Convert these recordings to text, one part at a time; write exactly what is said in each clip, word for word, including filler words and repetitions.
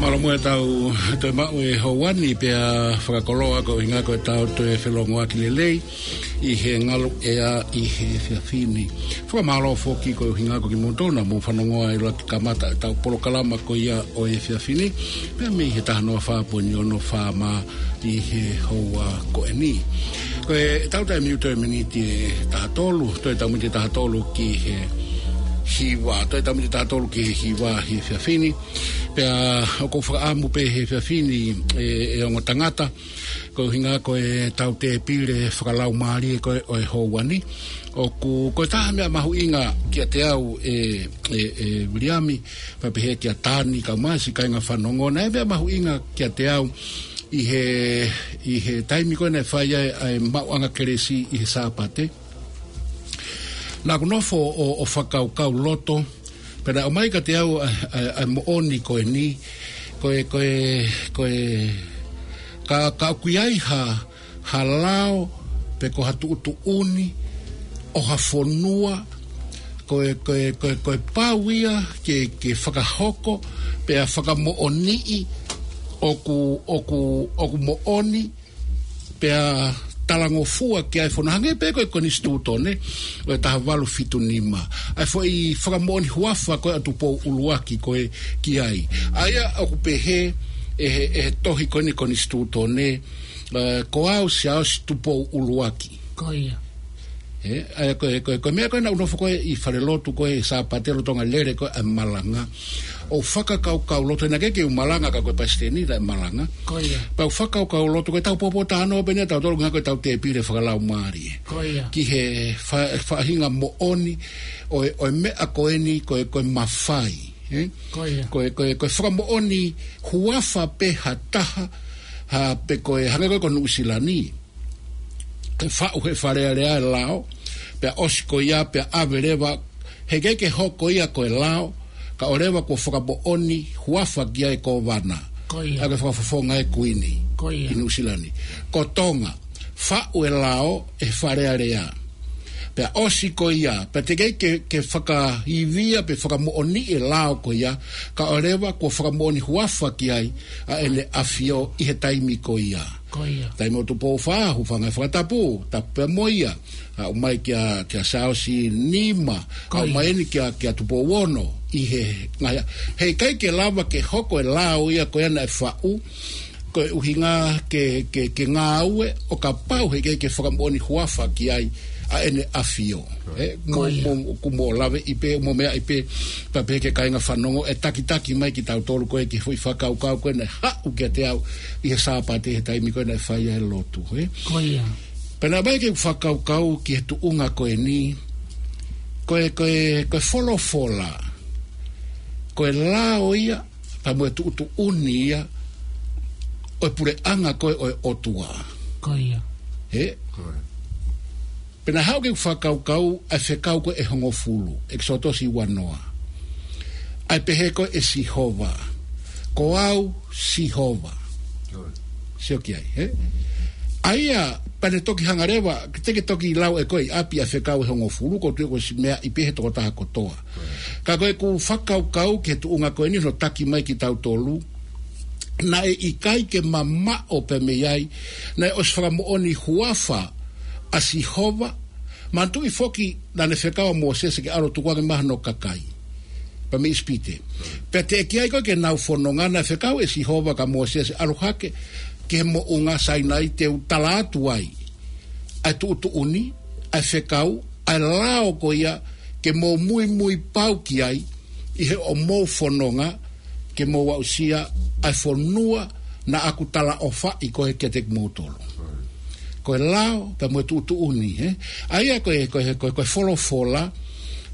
Mālō muʻa ʻetau toe maʻu e houa ni pea fakakoloa ko e ʻuhinga ko ʻetau toe felōngoaki lelei ʻi he ngaluʻea ʻi he efiafi ni. Fakamālō foki ko e ʻuhinga ko kimoutolu naʻa mou fanongoa ʻi loto kamata ʻetau polokalama ko ia ʻo e efiafi ni. Pea mei he taha noa fā poini ono FM ʻi he houa ko eni. Ko ʻetau taimi ʻoku toe miniti ʻe taha tolu, toe taha miniti ʻe taha tolu ki he hiva, toe taha miniti ʻe taha tolu ki he hiva ʻi he efiafi ni. Pea ʻoku ou fakaʻamu pē he efiafi ni ʻe, ʻe ongo tangata, ko e ʻuhinga ko ʻetau tēpile fakalaumālie ko ē ʻo e houa ni. ʻOku, ko e taha meʻa mahuʻinga kiate au ʻe, ʻe, ʻe Viliami, pea pehē kia Tani, kae ʻumaʻā siʻi kāinga fanongo, naʻe meʻa mahuʻinga kiate au ʻi he, ʻi he taimi ko ē naʻe fai ai ʻa e maʻuʻanga kelesi ʻi he Sāpate. Naʻa ku nofo ʻo, ʻo fakakaukau loto, pea naʻe ʻomai kiate au ʻa, ʻa, ʻa e moʻoni ko eni, ko e, ko e, ko e, ka, ka ʻoku ʻi ai ha, ha lao, pe ko ha tuʻutuʻuni, ʻo ha fonua, ko e, ko e, ko e, ko e pau ia ke, ke fakahoko, pea fakamoʻoniʻi, ʻoku, ʻoku, ʻoku moʻoni, pea talangofua ki ai e fonua hangē pē ko e konisitūtone ʻo e taha valu fitu nima. ʻA e foʻi fakamoʻoni huafa ko ē ʻa Tupou ʻUluaki ko ē ki ai. ʻA ia ʻoku pehē ʻe he, ʻe he tohi ko eni konisitūtone, ē, ko au Siaosi Tupou ʻUluaki. Ko ia. Ē, ʻa ia ko e, ko e, ko e meʻa ko ē naʻa ku nofo ko ē ʻi fale lotu ko ē Sāpate lolotonga e lele ko ē ʻa e malanga. ʻO fakakaukau loto, naʻe ʻikai ke u malanga ka ko e palesiteni naʻe malanga. Ko ia. Pea u fakakaukau loto ko ʻetau pōpōtalanoa pē eni ʻa tautolu ʻuhinga ko ʻetau tēpile fakalaumālie. Ko ia. Ki he fa-, faʻahinga moʻoni ʻo e, ʻo e meʻa ko eni ko e, ko e mafai. Ē? Ko ia. Ko e, ko e, ko e fakamoʻoni huafa pē ha taha, ha, pe ko e hangē ko ē ko Nuʻusila ni. Ke faʻu he Fale Alea e lao, pea ʻosi ko ia, pea ʻave leva, heʻikai ke hoko ia ko e lao, kae ʻoua leva kuo fakamoʻoni huafa ki ai e kōvana. Ko ia. ʻA ia ko e fakafofonga e Kuini. Ko ia. ʻI Nuʻusila ni. Ko Tonga, faʻu e lao ʻe he Fale Alea. Pea ʻosi ko ia, pea teʻeki ai ke, ke fakaivia pe fakamoʻoniʻi e lao ko ia, kae ʻoua leva kuo fakamoʻoni huafa ki ai ʻa ʻEne ʻAfio ʻi he taimi ko ia. Ko ia. Taimi ʻo Tupou Fā, hūfanga he fakatapu, tapu pē mo ia. ʻA, ʻomai kia, kia Siaosi Nima, Ko ia. ʻA, ʻomai eni kia, kia Tupou Ono, ʻi he ngaahi, heʻikai ke lava ke hoko e lao ia ko ia naʻe faʻu, ko e ʻuhinga ke, ke, ke ngāue, ʻo kapau heʻikai ke fakamoʻoni huafa ki ai ʻa ʻEne ʻAfio. Ē, Ko mo, ia. mo, ʻoku mou lave ʻi pē, mou meaʻi pē, pea pehē ki he kāinga fanongo, ʻe takitaki mai kitautolu ko ē ki he foʻi fakakaukau ko ē naʻe haʻu kiate au ʻi he Sāpate he taimi ko ē naʻe fai ai e lotu, ē. Ko ia. Pea naʻe ʻomai ke u fakakaukau ki he tuʻunga ko eni, ko e, ko e, ko e folofola, ko e lao ia, pea mo e tuʻutuʻuni ia, ʻo e puleʻanga ko ē ʻo e ʻOtua. Ko ia. Ē? Ko ia. Pea naʻe haʻu ke u fakakaukau ʻa e fekau ko ē ʻe hongofulu, ʻEkisoto ua noa. ʻA e pehē ko ē ʻe Sihova, ko au Sihova. Sio ki ai, ē? ʻA ia, pea ne toki hanga leva, te ke toki lau ʻe koe ʻi ʻapi ʻa e fekau ʻe hongofulu, ko e tuʻu ko e siʻi meaʻi pē he tokotaha kotoa. Ka ko ʻeku fakakaukau ki he tuʻunga ko eni hono taki mai kitautolu, naʻe ʻikai ke mamaʻo pē mei ai, naʻe ʻosi fakamoʻoni huafa ʻa Sihova, manatuʻi foki naʻa ne fekau ʻa Mōsese ke ʻalu ʻo tukuange mai hano kakai. Pea mei ʻIsipite. Pea teʻeki ai ko ē ke nau fononga naʻe fekau ʻe Sihova kia Mōsese ʻalu hake ki he moʻunga Sainai te u tala atu ai ʻa e tuʻutuʻuni, ʻa e fekau, ʻa e lao ko ia ke mou muimui pau ki ai, ʻi heʻemou fononga, ke mou aʻusia ʻa e fonua naʻa ku talaʻofaʻi ko ē kiate kimoutolu. Ko e lao, pea mo e tuʻutuʻuni, ē? ʻA ia ko e, ko e, ko e, ko e folofola,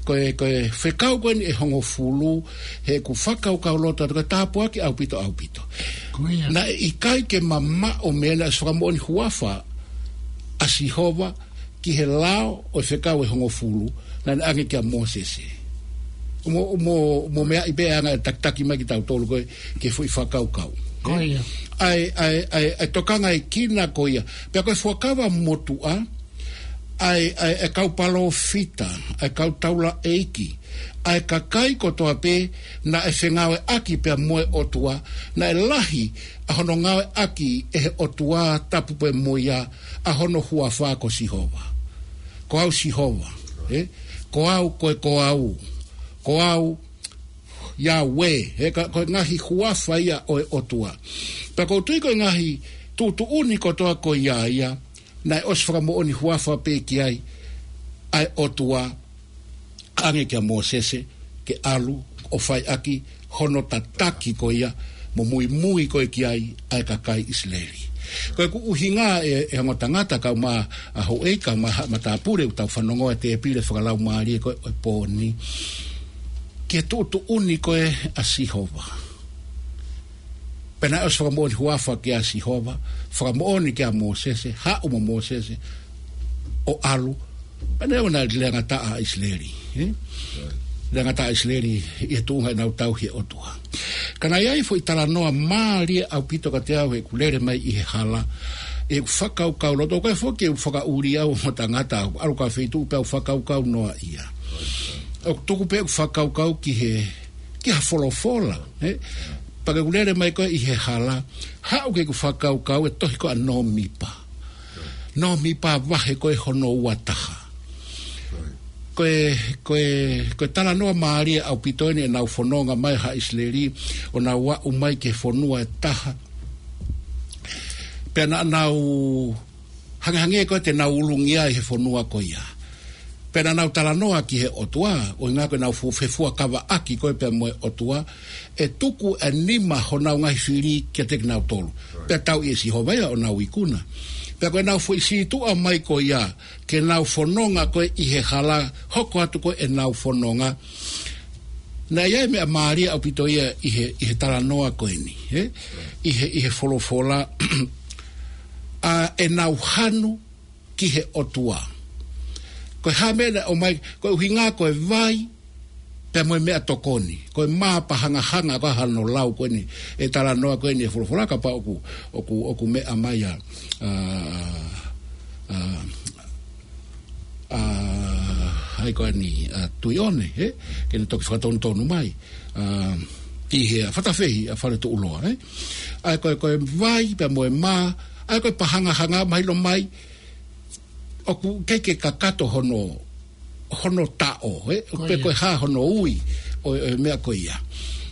ko e, ko e fekau ko eni ʻe hongofulu, heʻeku fakakaukau loto atu, ko e tāpuaki ʻaupito, ʻaupito. Ko ia. Naʻe ʻikai ke mamaʻo mei ai naʻe ʻosi fakamoʻoni huafa ʻa Sihova ki he lao ʻo e fekau ʻe hongofulu, naʻa ne ʻange kia Mōsese. ʻO mou, ʻo mou, ʻo mou meaʻi pē ʻa e anga e takitaki mai kitautolu ko ē ki he foʻi fakakaukau. Ko ia. ʻA e, ʻa e, ʻa e, ʻa e tokangaʻi kina ko ia. Pea ko e fuakava motuʻa, ʻa e, ʻa e, ʻa e kau palōfita, ʻa e kau taulaʻeiki, ʻa e kakai kotoa pē naʻe fengāueʻaki pea mo e ʻOtua, naʻe lahi ʻa hono ngāueʻaki ʻe he ʻOtua tapu pea mo ia ʻa hono huafa ko Sihova. Ko au Sihova, ē? Ko au, ko e ko au, ko au, Yahweh, ē, ka, ko e ngaahi huafa ia ʻo e ʻOtua. Pea ʻoku ou tui ko e ngaahi tuʻutuʻuni kotoa ko ia ia, naʻe ʻosi fakamoʻoni huafa pē ki ai ʻa e ʻOtua, ʻange kia Mōsese ke ʻalu ʻo fai ʻaki hono tataki ko ia, mo muimui ko ē ki ai ʻa e kakai ʻIsileli. Ko ʻeku ʻuhinga ē, ʻe ongo tangata kau mā, ʻa houʻeiki kau mā, matāpule ʻoku tau fanongoa e tēpile fakalaumālie ko ē ʻo e pō ni, ki he tuʻutuʻuni ko ē ʻa Sihova. Pea naʻe ʻosi fakamoʻoni huafa kia Sihova, fakamoʻoni kia Mōsese, haʻu mo Mōsese ʻo ʻalu. Pea naʻe ʻoua naʻa lea ngata ʻa ʻIsileli, ē? Lea ngata ʻa ʻIsileli ʻi he tuʻunga ʻenau tauhi e ʻOtua. Ka naʻe ʻi ai e foʻi talanoa mālie ʻaupito kiate au heʻeku lele mai ʻi he hala, ʻeku fakakaukau loto, ko e foki ʻeku fakaʻuli au mo tangata au, ʻalu ki ha feituʻu pea u fakakaukau noa ia. ʻOku tuku pē ʻeku fakakaukau ki he, ki ha folofola, ē? Pea ke u lele mai ko ē ʻi he hala, haʻu ke u fakakaukau e tohi ko ē ʻa Nōmipa. Nōmipa vahe ko ē hono ua taha. Ko e, ko e, ko e talanoa mālie ʻaupito eni ʻenau fononga mai haʻa ʻIsileli, ʻo nau aʻu mai ki he fonua ʻe taha. Pea naʻa nau hangehangē ko ē te nau ulungia ʻi he fonua ko ia. Pea naʻa nau talanoa ki he ʻOtua, ʻuhinga ko ʻenau fu-, fefuakavaʻaki ko ē pea mo e ʻOtua, ʻe tuku e nima honau ngaahi fili kiate kinautolu. Pea tauʻi ʻe Sihova ia ʻo nau ikuna. Pea ko ʻenau foʻi sītuʻa mai ko ia, ke nau fononga ko ē ʻi he hala, hoko atu ko ē ʻenau fononga. Naʻe ʻi ai e meʻa mālie ʻaupito ia ʻi he, ʻi he talanoa ko eni, ē? ʻI he, ʻi he folofola, ʻa ʻenau hanu ki he ʻOtua. Ko e hā e meʻa naʻe ʻomai, ko e ʻuhinga ko e vai, pea mo e meʻatokoni. Ko e mā pahangahanga ko ē hano lau ko eni, e talanoa ko eni e folofola kapau ʻoku, ʻoku, ʻoku meʻa mai ʻa, ʻa, ʻa, ʻa, ʻa, hai ko eni, ʻa, Tuʻiʻone, ē? Ke ne toki fakatonutonu mai. ʻA, ʻi he ʻa Fatafehi ʻa Faletuʻuloa, ē? ʻA e ko e, ko e vai, pea mo e mā, ʻa e ko e pahangahanga mahino mai, ʻoku ʻikai ke kakato hono, hono taʻo, ē? Ko ia. Pe ko e hā hono ui ʻo, ʻo e meʻa ko ia.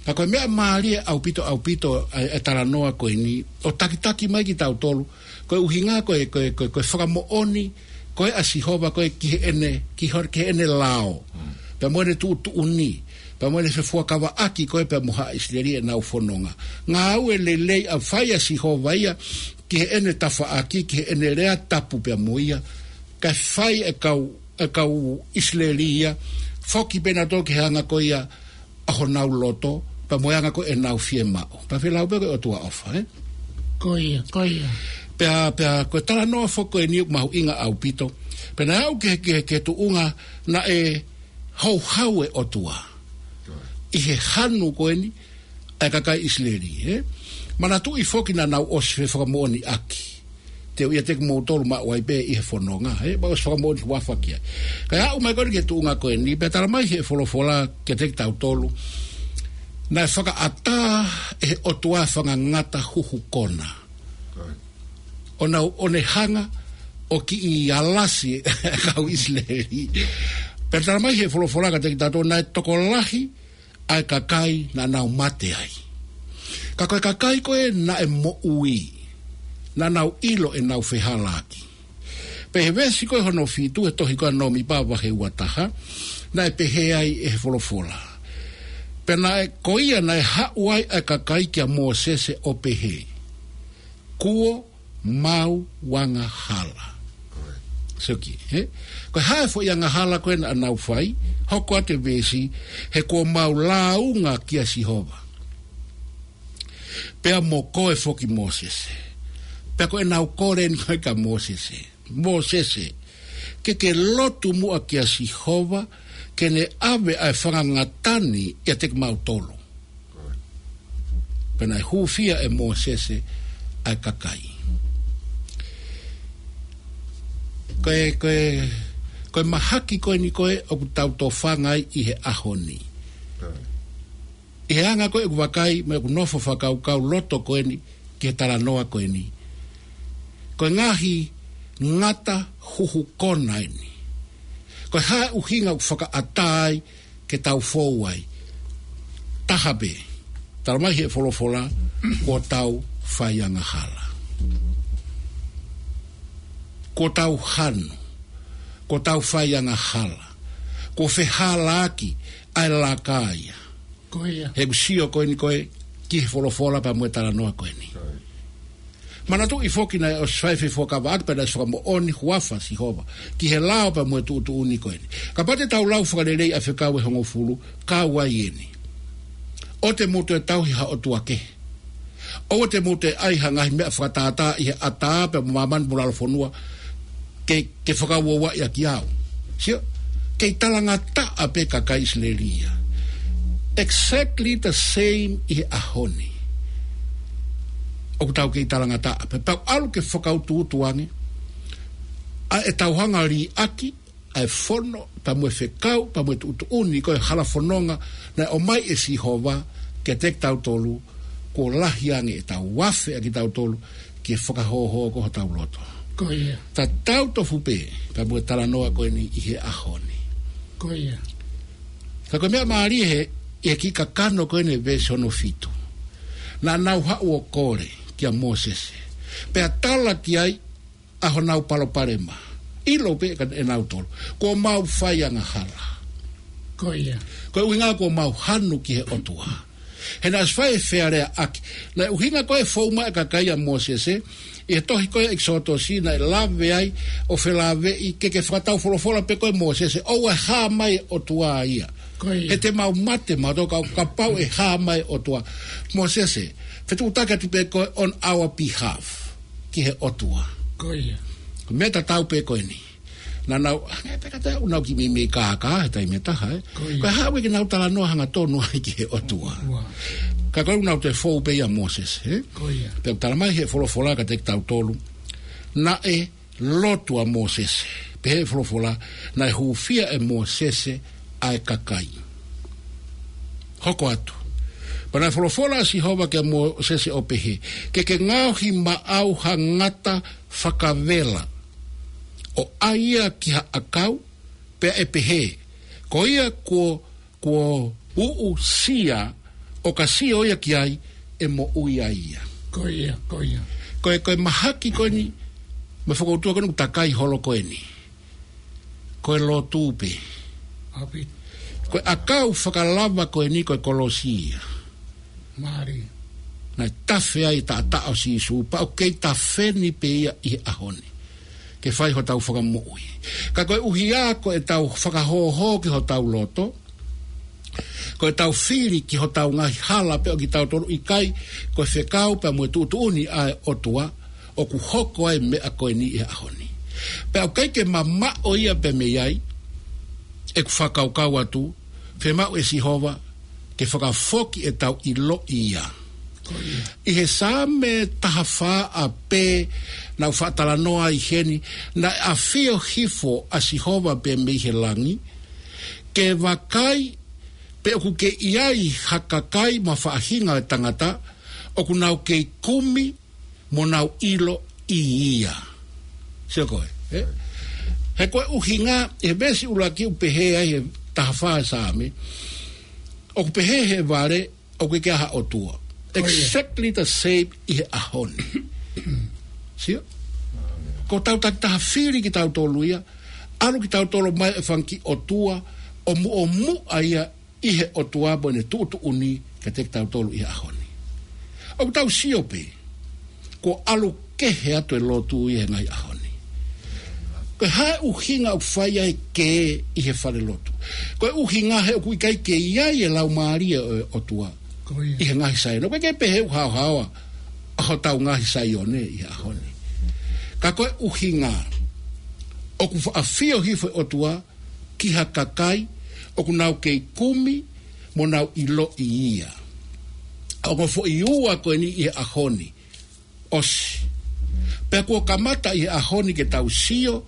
Ka ko e meʻa mālie ʻaupito, ʻaupito ʻa e, ʻa e talanoa ko eni, ʻo takitaki mai kitautolu, ko e ʻuhinga ko e, ko e, ko e, ko e fakamoʻoni ko ē ʻa Sihova ko ē ki heʻene, ki ho-, ki heʻene lao. Mm. Pea mo ʻene tuʻutuʻuni, pea mo ʻene fefuakavaʻaki ko ē pea mo haʻa ʻIsileli ʻenau fononga. Ngāue lelei ʻa e fai ʻa Sihova ia ki heʻene tafaʻaki, ki heʻene lea tapu pea mo ia. Kae fai e kau, e kau ʻIsileli ia, foki pē nautolu ki he anga ko ia ʻa honau loto, pea mo e anga ko ē ʻenau fiemaʻu. Pea felau pē ko e ʻOtua ʻofa, ē? Ko ia, ko ia. Pea, pea, ko e talanoa foki ko eni ʻoku mahuʻinga ʻaupito. Pea naʻe aʻu ki he, ki he, ki he tuʻunga naʻe houhau e ʻOtua ʻi he hanu ko eni ʻa e kakai ʻIsileli, ē? Manatuʻi foki naʻa nau ʻosi fefakamoʻoniʻaki. Te u ʻiate kimoutolu maʻu ai pē ʻi he fononga, ē? Pea ʻosi fakamoʻoni huafa ki ai. Kae aʻu mai ko eni ki he tuʻunga ko eni, pea tala mai he folofola kiate kitautolu, naʻe fakaʻatā ʻe he ʻOtua e fanga ngata huhu kona. ʻO nau, ʻo ne hanga ʻo kiʻi alasi e kau ʻIsileli. Pea tala mai he folofola kiate kitautolu, naʻe tokolahi ʻa e kakai naʻa nau mate ai. Ka ko e kakai ko ē naʻe moʻui, naʻa nau ʻilo ʻenau fehālaaki. Pea he veesi ko ē hono fitu he tohi ko ē ʻa Nōmipa vahe ua taha, naʻe pehē ai ʻe he folofola. Pea naʻe, ko ia naʻe haʻu ai ʻa e kakai kia Mōsese ʻo pehē, kuo mau angahala. Correct. Seki, ē? Ko e hā e foʻi angahala ko ē naʻa nau fai, hoko atu e veesi, he kuo mau lāunga kia Sihova. Pea mo koe foki Mōsese. Pea ko ʻenau kole eni ko ē kia Mōsese. Mōsese, ke ke lotu muʻa kia Sihova, ke ne ʻave ʻa e fanga ngata ni ʻiate kimautolu. Pea naʻe hūfia ʻe Mōsese ʻa e kakai. Ko e, ko e, ko e mahaki ko eni ko ē ʻoku tau tofanga ai ʻi he ʻaho ni. ʻI he anga ko ē ʻeku vakai, mo ʻeku nofo fakakaukau loto ko eni, ki he talanoa ko eni. Ko e ngaahi ngata huhu kona eni. Ko e hā e ʻuhinga ʻoku fakaʻatā ai ke tau fou ai. Taha pē, talamai ʻe he folofola, kuo tau faiangahala. Kuo tau hanu. Kuo tau faiangahala. Kuo fehālaaki ʻa e laka ia. Ko ia. He ʻoku sio ko eni ko ē ki he folofola pea mo e talanoa ko eni. Manatuʻi foki naʻe ʻosi fai e fefuakavaʻaki pea naʻe ʻosi fakamoʻoni huafa Sihova ki he lao pea mo e tuʻutuʻuni ko eni. Kapau te tau lau Fakalelei ʻa e fekau ʻe hongofulu, kau ai eni. ʻOua te mou toe tauhi ha ʻotua kehe. ʻOua te mou toe ʻai ha ngaahi meʻa fakatātā ʻi he ʻatā pea mo māmani mo lalo fonua ke, ke fakauouaʻi ʻaki au. Sio, kei talangataʻa pē kakai ʻIsileli ia. Exactly the same ʻi he ʻaho ni. ʻOku tau kei talangataʻa pē. Pea ʻalu ke fakautuutu ange ʻa e tau hanga liʻaki ʻa e fono, pea mo e fekau, pea mo e tuʻutuʻuni, ko e hala fononga naʻe ʻomai ʻe Sihova kiate kitautolu, kuo lahi ange ʻetau afe ʻa kitautolu ki he fakahōhō ko hotau loto. Ko ia. Tatau tofu pē pea mo e talanoa ko eni ʻi he ʻaho ni. Ko ia. Ka ko e meʻa mālie he, ʻi he kiʻi kakano ko eni veesi hono fitu. Naʻa nau haʻu ʻo kole kia Mōsese. Pea tala ki ai ʻa honau palopalema. ʻIlo pē ʻe kinautolu, kuo mau faiangahala. Ko ia. Ko e ʻuhinga kuo mau hanu ki he ʻOtua. He naʻe ʻosi fai e fealeaʻaki. Naʻe ʻuhinga ko e fou mai e kakai ʻia Mōsese, ʻi he tohi ko e ʻEkisoto naʻe lave ai, ʻo felāveʻi ke ke fakatau folofola pē koe Mōsese, ʻoua ʻe hā mai e ʻOtua ia. Ko ia. He te mau mate mautolu ka, kapau ʻe hā mai e ʻOtua. Mōsese, fetuʻutaki atu pē koe on our behalf ki he ʻOtua. Ko ia. Ko e meʻa tatau pē ko eni. Naʻa nau, ʻa, pē ka te u nau kiʻi meimei kākā he taimi ʻe taha, ē. Ko ia. Ko e haʻu ke nau talanoa hangatonu ai ki he ʻOtua. Ua. Ka ko e ʻuhinga naʻa nau toe fou pē ʻia Mōsese, ē. Ko ia. Pea talamai ʻe he folofola kiate kitautolu. Naʻe lotu ʻa Mōsese. Pehē ʻe he folofola, naʻe hūfia ʻe Mōsese ʻa e kakai. Hoko atu. Pea naʻe folofola ʻa Sihova kia Mōsese ʻo pehē, ke ke ngaohi maʻau ha ngata fakavela, ʻo ʻai ia ki ha ʻakau, pea ʻe pehē, ko ia kuo, kuo uʻusia, ʻo ka sio ia ki ai, ʻe moʻui ai ia. Ko ia, ko ia. Ko e, ko e mahaki ko eni, mo e fokoutua ko eni ʻoku takai holo ko eni. Ko e lotu pē. ʻAupito. Ko e ʻakau fakalava ko eni ko e kolosi ia. Mālie. Naʻe tafe ai e taʻataʻa ʻo Sīsū, pea ʻoku kei tafe ni pē ia ʻi he ʻaho ni. Ke fai hotau fakamoʻui. Ka koeʻuhi ko ʻetau fakahōhō ki hotau loto, ko ʻetau fili ki hotau ngaahi hala pē ʻo kitautolu, ʻikai ko e fekau pea mo e tuʻutuʻuni ʻa e ʻOtua, ʻoku hoko ai e meʻa ko eni ʻi he ʻaho ni. Pea ʻoku ʻikai ke mamaʻo ia pē mei ai, ʻeku fakakaukau atu, fiemaʻu ʻe Sihova ke fakafoki ʻetau ʻiloʻi ia. Ko ia. ʻI he Saame taha fā ʻa pē naʻa ku faʻa talanoa ai heni, naʻe ʻafio hifo ʻa Sihova pē mei he langi, ke vakai pe ʻoku kei ʻi ai ha kakai mo ha faʻahinga ʻo e tangata, ʻoku nau kei kumi mo nau ʻiloʻi ia. Sio koe, ē? He ko e ʻuhinga, he veesi ʻuluaki ʻoku pehē ai he taha fā Saame, ʻoku pehē he vale, ʻoku ʻikai ha ʻOtua. Ko ia. Exactly the same ʻi he ʻaho ni. Sio? Ko ʻetau takitaha fili kitautolu ia, ʻalu kitautolu mai e fanga kiʻi ʻotua, ʻo muʻomuʻa ia ʻi he ʻOtua mo ʻene tuʻutuʻuni kiate kitautolu ʻi he ʻaho ni. ʻOku tau sio pē, kuo ʻalu kehe atu e lotu ʻi he ngaahi ʻaho ni. Ko e hā e ʻuhinga ʻoku fai ai e kē ʻi he fale lotu? Ko e ʻuhinga he ʻoku ʻikai ke ʻi ai e Laumālie ʻo e ʻOtua. Ko ia. ʻI he ngaahi Saione. ʻOku ʻikai ke pehē ʻoku haohaoa ʻa hotau ngaahi Saione ʻi he ʻaho ni. Ka ko e ʻuhinga ʻoku faʻa ʻafio hifo e ʻOtua ki ha kakai ʻoku nau kei kumi mo nau ʻiloʻi ia. ʻA e ongo foʻi ua ko eni ʻi he ʻaho ni. ʻOsi. Pea kuo kamata ʻi he ʻaho ni ke tau sio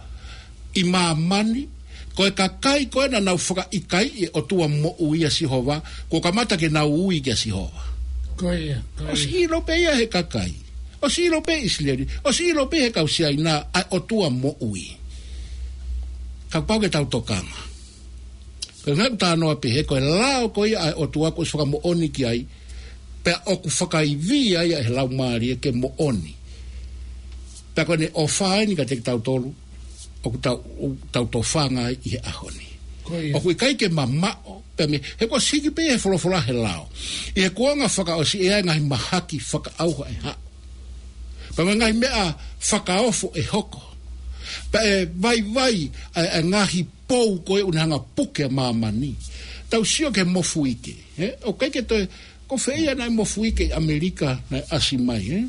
ʻi māmani, ko e kakai ko ē naʻa nau fakaʻikaiʻi e ʻOtua moʻui ʻa Sihova, kuo kamata ke nau ui kia Sihova. Ko ia, ko ia. ʻOsi ʻilo pē ia he kakai. ʻOsi ʻilo pē ʻIsileli. ʻOsi ʻilo pē he kau Siaina ʻa e ʻOtua moʻui. Kapau ke tau tokanga. Ko e ngaahi talanoa pehē, ko e lao ko ia ʻa e ʻOtua kuo ʻosi fakamoʻoni ki ai, pea ʻoku fakaivia ia ʻe he Laumālie ke moʻoni. Pea ko ʻene ʻofa eni kiate kitautolu, ʻoku tau, tau tofanga ai ʻi he ʻaho ni. Ko ia. ʻOku ʻikai ke mamaʻo, pea mei, he kuo ʻosi hiki pē he folofola he lao. ʻI he kuonga fakaʻosi ʻe ʻi ai e ngaahi mahaki fakaʻauha ʻe haʻu. Pea mo e ngaahi meʻa fakaofo ʻe hoko. Pea ʻe vaivai ʻa e, ʻa e ngaahi pou ko ē ʻoku ne hanga puke ʻa māmani. Tau sio ki he mofuike, ē? ʻOku ʻikai ke toe, ko fē ia naʻe mofuike ʻi ʻAmelika naʻe ʻasi mai, ē?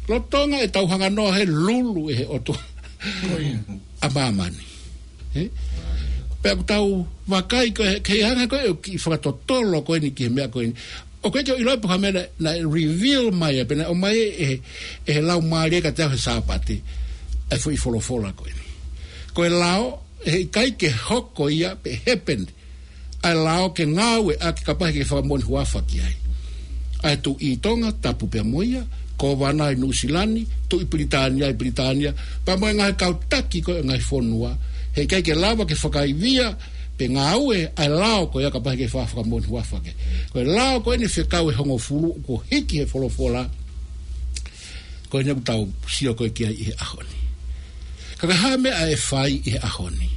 Lolotonga ʻetau hanga noa he lulu ʻe he ʻOtua. Ko ia. ʻA māmani. Ē? Pea ʻoku tau vakai ko ē, ke hanga ko ē ʻo kiʻi fakatotolo ko eni ki he meʻa ko eni. ʻOku ʻikai ke u ʻilo pe ko e hā e meʻa naʻe, naʻe reveal mai, pe naʻe ʻomai ʻe he, ʻe he Laumālie kiate au he Sāpate, ʻa e foʻi folofola ko eni. Ko e lao, ʻe ʻikai ke hoko ia pe happen, ʻa e lao ke ngāueʻaki kapau he ʻikai ke fakamoʻoni huafa ki ai. ʻA e Tuʻi ʻi Tonga, tapu pea mo ia, Kōvana ʻi Nuʻusila ni, Tuʻi Pilitānia ʻi Pilitānia, pea mo e ngaahi kau taki ko ē ʻo e ngaahi fonua, he ʻikai ke lava ke fakaivia, pe ngāue ʻa e lao ko ia kapau he ʻikai ke fa-, fakamoʻoni huafa ki ai. Ko e lao ko eni fekau ʻe hongofulu kuo hiki he folofola, ko eni ʻoku tau sio ko ē ki ai ʻi he ʻaho ni. Ka ko e hā e meʻa ʻe fai ʻi he ʻaho ni?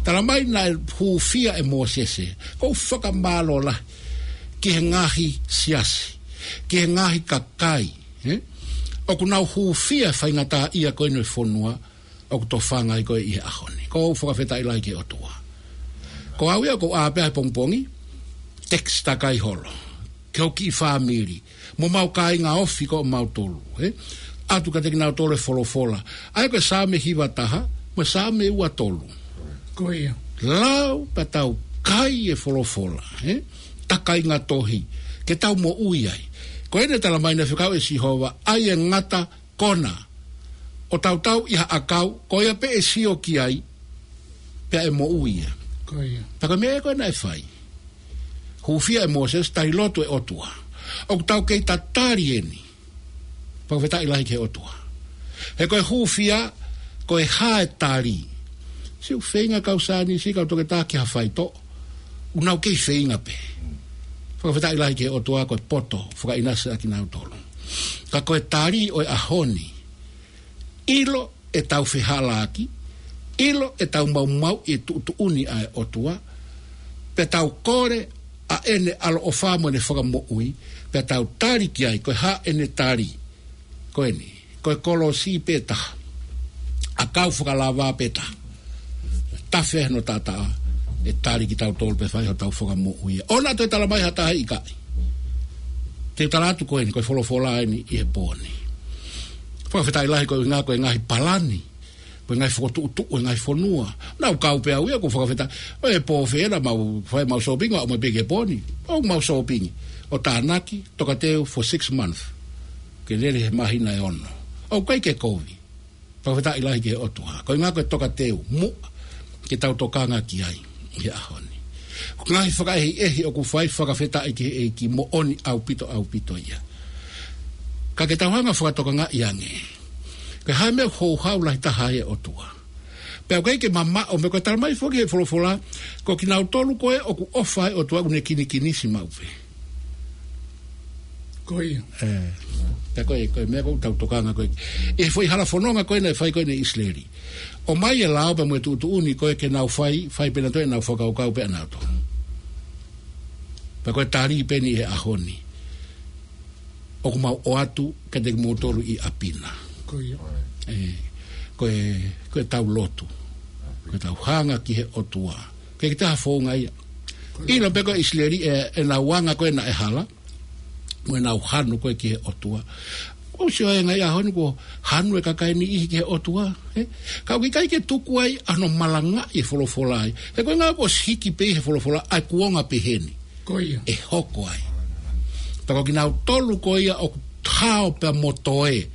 Talamai naʻe hūfia ʻe Mōsese, ʻoku ou fakamālō lahi ki he ngaahi siasi, ki he ngaahi kakai, ē? ʻOku nau hūfia e faingataʻaʻia ko eni ʻo e fonua, ʻoku tofanga ai ko ē ʻi he ʻaho ni. ʻOku ou fakafetaʻi lahi ki he ʻOtua. Ko au ia ʻoku ou ʻā pē he pongipongi, text takai holo ki hoku kiʻi fāmili, mo homau kāinga ofi ko mautolu, ē? ʻOatu kiate kinautolu e folofola. ʻA ia ko e Saame hiva taha, mo e Saame ua tolu. Ko ia. Lau pea tau kai e folofola, ē? Takainga tohi, ke tau moʻui ai. Ko eni talamai naʻe fekau ʻe Sihova, ʻai e ngata kona ʻo tautau ʻi ha ʻakau, ko ia pē ʻe sio ki ai, pea ʻe moʻui ia. Ko ia. Pea ko e meʻa ko ē naʻe fai. Hūfia ʻe Mōsese, tali lotu e ʻOtua. ʻOku tau kei tatali eni. Fakafetaʻi lahi ki he ʻOtua. He ko e hūfia, ko e hā e tali? Siʻi feinga kau saienisi, kau toketā ki ha faitoʻo, ʻoku nau kei feinga pē. Fakafetaʻi lahi ki he ʻOtua ko e poto fakaʻinasi ʻa kinautolu. Ka ko e tali ʻo e ʻaho ni, ʻilo ʻetau fehālaaki, ʻilo ʻetau maumauʻi e tuʻutuʻuni ʻa e ʻOtua, pea tau kole ʻa ʻene ʻaloʻofa mo ʻene fakamoʻui, pea tau tali ki ai, ko e hā ʻene tali? Ko eni, ko e kolosi pē taha. ʻAkau fakalava pē taha. Tafe hono taʻataʻa, ʻe tali kitautolu pea fai hotau fakamoʻui. ʻOua toe talamai ha taha ʻikai. Te u tala atu ko eni, ko e folofola eni ʻi he pō ni. Fakafetaʻi lahi ko e ʻuhinga ko e ngaahi palani, ko e ngaahi fokotuʻutuʻu e ngaahi fonua. Naʻa ku kau pē au ia, ʻoku ou fakafetaʻi. ʻOku pō fē naʻa mau fai mau sōpingi, ʻo aʻu mai pē ki he pō ni. ʻOku mau sōpingi ʻo tānaki, tokateu for six months. Ke lele he māhina ʻe ono. ʻOku ʻikai ke kovi. Fakafetaʻi lahi ki he ʻOtua. Ko e ʻuhinga ko e tokateu muʻa ke tau tokanga ki ai ʻi he ʻaho ni. Ko e ngaahi fakaʻehiʻehi ʻoku fai, fakafetaʻi ki he ʻEiki, moʻoni ʻaupito, ʻaupito ia. Ka ke tau hanga fakatokangaʻi ange, ko e hā e meʻa ʻoku houhau lahi taha ai e ʻOtua? Pea ʻoku ʻikai ke mamaʻo, meʻa ko e talamai foki he folofola, ko kinautolu ko ē ʻoku ʻofa ai e ʻOtua ʻoku ne kinikinisi maʻu pē. Ko ia. Ē. Pea ko e, ko e meʻa ʻoku tau tokanga ko ē. ʻI he foʻi hala fononga ko ē naʻe fai ko ē ʻe ʻIsileli. ʻOmai e lao pea mo e tuʻutuʻuni ko ē ke nau fai, fai pē nautolu ʻenau fakakaukau pē ʻanautolu. Pea ko e tali pē eni he ʻaho ni. ʻOku mau ʻoatu kiate kimoutolu ʻi ʻapi na. Ko ia. Ē, ko e, ko ʻetau lotu. Ko ʻetau hanga ki he ʻOtua. Ke kita ha founga ia. Ko ia. ʻIlo pē ko ʻIsileli ē, ʻenau anga ko ē naʻe hala. Mo ʻenau hanu ko ē ki he ʻOtua. ʻOku ou sio he ngaahi ʻaho ni kuo hanu e kakai ʻe niʻihi ki he ʻOtua, ē? Ka ʻoku ʻikai ke tuku ai hano malangaʻi e folofola ai. He ko e ʻuhinga kuo ʻosi hiki pē he folofola ʻa e kuonga pehē ni. Ko ia. ʻE hoko ai. Pea ko kinautolu ko ia ʻoku hao pea mo toe,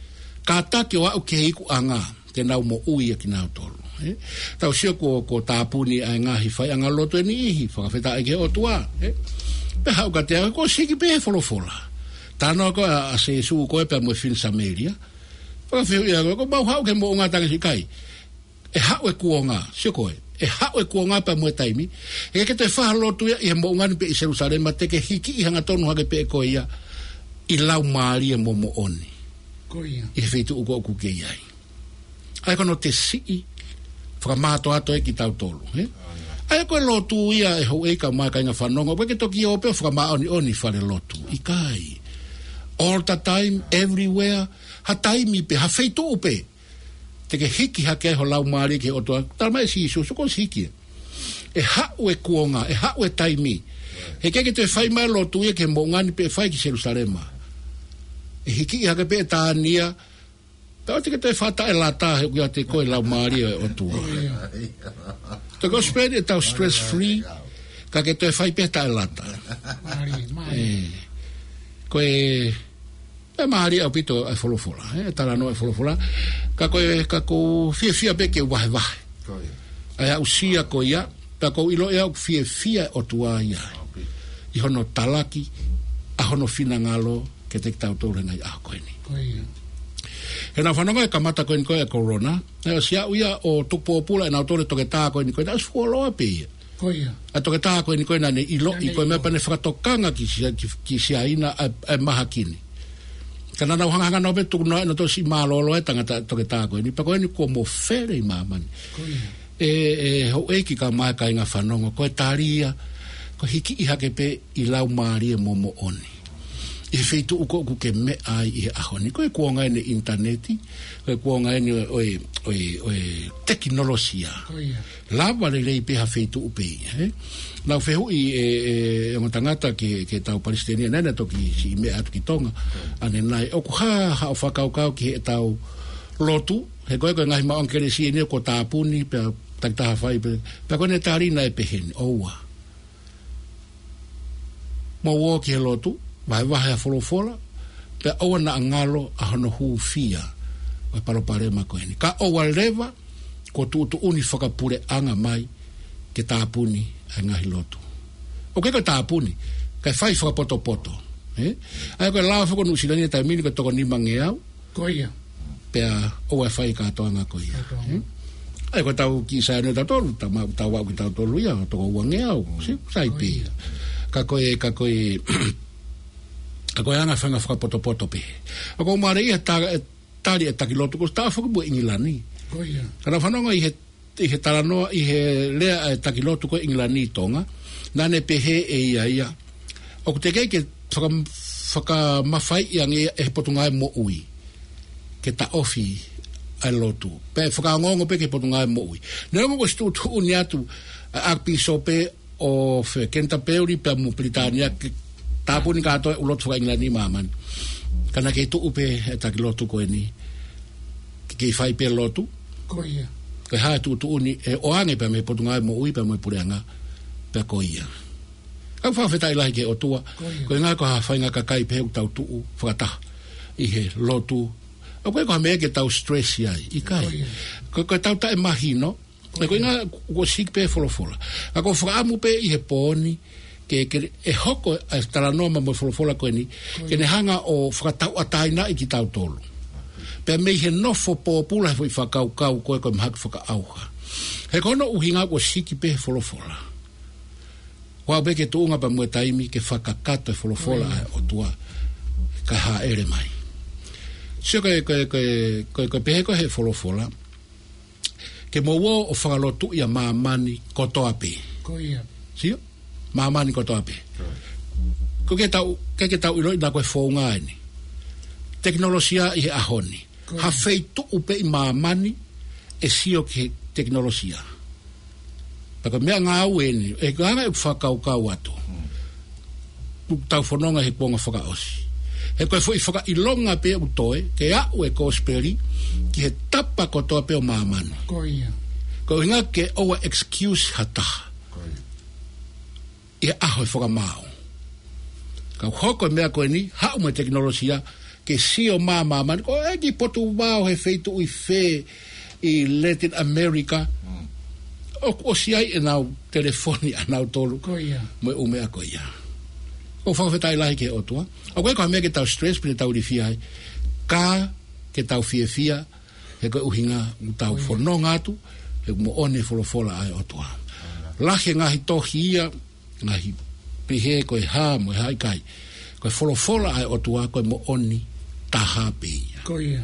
kātaki ʻo aʻu ki he ikuʻanga, te nau moʻui ʻa kinautolu. Ē? Tau sio kuo, kuo tāpuni ʻa e ngaahi faiʻanga lotu ʻe niʻihi, fakafetaʻi ki he ʻOtua, ē? Pea haʻu kiate au, kuo siki pē he folofola. Talanoa ko ē ʻa, ʻa Sēsū ko ē pea mo e fefine Samēlia. Fakafehuʻi ʻe au, ko e mau haʻu ki he moʻunga, talamai ʻe he siʻi kai. ʻE haʻu e kuonga, sio ko ē. ʻE haʻu e kuonga pea mo e taimi. ʻE ʻikai ke toe fai ha lotu ia ʻi he moʻunga ni pe ʻi Selusalema, te ke hikiʻi hangatonu hake pē koe ia ʻi laumālie mo moʻoni. Ko ia. ʻI he feituʻu ko ē ʻoku ke ʻi ai. ʻA ia ko hono tesiʻi fakamātoato ē kitautolu, ē? ʻA ia ko e lotu ia ʻe houʻeiki kae ʻumaʻā e kāinga fanongo, ʻoku ʻikai ke toki ō pē ʻo fakamāʻoniʻoni fale lotu. ʻIkai. All the time, everywhere, ha taimi pē, ha feituʻu pē te ke hiki hake ai ho laumālie ki he ʻOtua. Talamai ʻe Sīsū, sio ko e siki ē. ʻE haʻu e kuonga, ʻe haʻu e taimi. He ʻikai ke toe fai mai lotu ia ki he moʻunga ni pe ʻe fai ki Selusalema. ʻE hikiʻi hake pē ʻe Tania, pea ʻoua te ke toe fakataʻelata he ʻoku ʻiate koe laumālie ʻo e ʻOtua. Te ke spend ʻetau stress free, ka ke toe fai pē taʻelata. Mālie, mālie. Ē, ko e, ʻe mālie ʻaupito ʻa e folofola, ē, talanoa e folofola. Ka ko e, ka ʻoku ou fiefia pē ke vahevahe. Ko ia. ʻA e aʻusia ko ia, pea ʻoku ou ʻilo ʻe au ʻoku fiefia e ʻOtua ia. ʻAupito. ʻI hono talaki ʻa hono finangalo kiate kitautolu he ngaahi ʻaho ko eni. Ko ia. He naʻa fanongo e kamata ko eni ko e corona, ʻe ʻosi aʻu ia ʻo tuku pōpula ʻe nautolu e toketā ko eni ko e naʻe ʻosi fuoloa pē ia. Ko ia. ʻA e toketā ko eni ko e naʻa ne ʻiloʻi ko e meʻa pea ne fakatokanga ki Sia-, ki, ki Siaina ʻa e, ʻa e mahaki ni. Ka naʻa nau hangahanga nau pē tuku noa ʻe nautolu siʻi mālōlō e tangata toketā ko eni. Pea ko eni kuo mofele ʻi māmani. Ko ia. ʻE, ʻe houʻeiki kae ʻumaʻā e kāinga fanongo, ko e tali ia, ko e hikiʻi hake pē ʻi laumālie mo moʻoni. ʻI he feituʻu ko ē ʻoku ke meʻa ai ʻi he ʻaho ni. Ko e kuonga eni ʻinitaneti, ko e kuonga eni ʻo e, ʻo e, ʻo e, ʻo e tekinolosia. Ko ia. Lava lelei pē ha feituʻu pē ia, ē? Naʻa ku fehuʻi ʻe, ʻe, ʻe ongo tangata ki he, ki he tau palesiteni, naʻa ne toki siʻi meʻa atu ki Tonga. ʻA ʻene ʻai, ʻoku hā haʻo fakakaukau ki heʻetau lotu, he ko e, ko e ngaahi maʻu ʻa e kelesi eni kuo tāpuni, pea takitaha fai pē, pea ko ʻene tali naʻe pehē ni, ʻoua. Mou ō ki he lotu, vahevahe ʻa e folofola, pea ʻoua naʻa ngalo ʻa hono hūfia ʻo e palopalema ko eni. Ka ʻoua leva kuo tuʻutuʻuni fakapuleʻanga mai ke tāpuni ʻa e ngaahi lotu. ʻOku ʻikai ko e tāpuni, kae fai fakapotopoto. Ē? ʻA ia ko e lao foki ʻo Nuʻusila ni he taimi ni ko e toko nimangeau. Ko ia. Pea ʻoua ʻe fai e kātoanga ko ia. Kātoanga. Ē? ʻA ia ko e tau kiʻi saione tautolu, tau ma-, tau aʻu kitautolu ia, toko uangeau. Mm. Sio, sai pē ia. Ka ko e, ka ko e, ka ko e anga e faʻahinga fakapotopoto pē. ʻOku ou mālieʻia he ta-, e tali e taki lotu, ko e taʻofi foki mo ʻIngilani. Ko ia. Ka naʻa fanongo ʻi he, ʻi he talanoa, ʻi he lea ʻa e taki lotu ko ē ʻIngilani ʻi Tonga, naʻa ne pehē ʻe ia ia, ʻoku teʻeki ke faka-, fakamafaiʻi ange ʻe he Potungāue Moʻui ke taʻofi ʻa e lotu. Pe fakaongoongo pē ki he Potungāue Moʻui. Neongo kuo ʻosi tuʻutuʻuni atu ʻa e ʻAkipīsope ʻo fē, Kenitapeli pea mo Pilitānia ke tāpuni kātoa e ʻū lotu fakaʻIngilani ʻi māmani. Ka naʻe kei tuʻu pē e taki lotu ko eni ke kei fai pē lotu. Ko ia. Ko e hā e tuʻutuʻuni ʻe ʻoange pē mei he Potungāue Moʻui pea mo e puleʻanga, pea ko ia. ʻOku fakafetaʻi lahi ki he ʻOtua. Ko ia. Ko e ʻuhinga ko ha faʻahinga kakai pē ʻoku tau tuʻu fakataha ʻi he lotu. ʻOku ʻikai ko ha meʻa ke tau stress ai, ʻikai. Ko ia. Ko, ko e tau taʻemahino, Ko ia. Ko e ʻuhinga kuo siki pē folofola. Ka ʻoku ou fakaʻamu pē ʻi he pō ni, ke, ke ʻe hoko ʻa e talanoa mo e folofola ko eni, ko ia, ke ne hanga ʻo fakatauʻatāinaʻi kitautolu. Pea mei he nofo pōpula he foʻi fakakaukau ko ē ko e mahaki fakaʻauha. He ko hono ʻuhinga kuo siki pē folofola. Ua pē ke tuʻunga pea mo e taimi ke fakakakato e folofola, ko ia, ʻa e ʻOtua, kae hāʻele mai. Sio ko e, ko e, ko e, ko e, ko e pehē ko ē he folofola, ke mou ō ʻo fakalotuʻi ʻa māmani kotoa pē. Ko ia. Sio? Māmani kotoa pē. Ko ia. Ko e ke tau, ke, ke tau ʻiloʻi naʻa ko e founga eni. Tekinolosia ʻi he ʻaho ni. Ko ia. Ha feituʻu pē ʻi māmani ʻe sio ki he tekinolosia. Pea ko e meʻangāue eni, ʻe ka anga e fakakaukau atu. Hmm. ʻOku tau fononga he kuonga fakaʻosi. He ko e foʻi fakaʻilonga pē ʻoku toe, ke aʻu e kosipeli ki he tapa kotoa pē ʻo māmani. Ko ia. Ko e ʻuhinga ke ʻoua excuse ha taha. Ko ia. ʻI he ʻaho e fakamaau. Ka hoko e meʻa ko eni, haʻu mo e tekinolosia, ke sio mai māmani, ko e kiʻi potu vao he feituʻu ʻi fē, ʻi Latin America. ʻOku ʻosi ʻi ai ʻenau telefoni ʻanautolu. Ko ia. Mo e ʻū meʻa ko ia. ʻOku fakafetaʻi lahi ki he ʻOtua. ʻOku ʻikai ko ha meʻa ke tau stress pe te tau ilifia ai. Ka ke tau fiefia, he ko e ʻuhinga ʻoku tau fononga atu, he ʻoku moʻoni e folofola ʻa e ʻOtua. Lahi e ngaahi tohi ia, ngaahi pehē ko e hā mo e hā, ʻikai. Ko e folofola ʻa e ʻOtua, ko e moʻoni taha pē ia. Ko ia.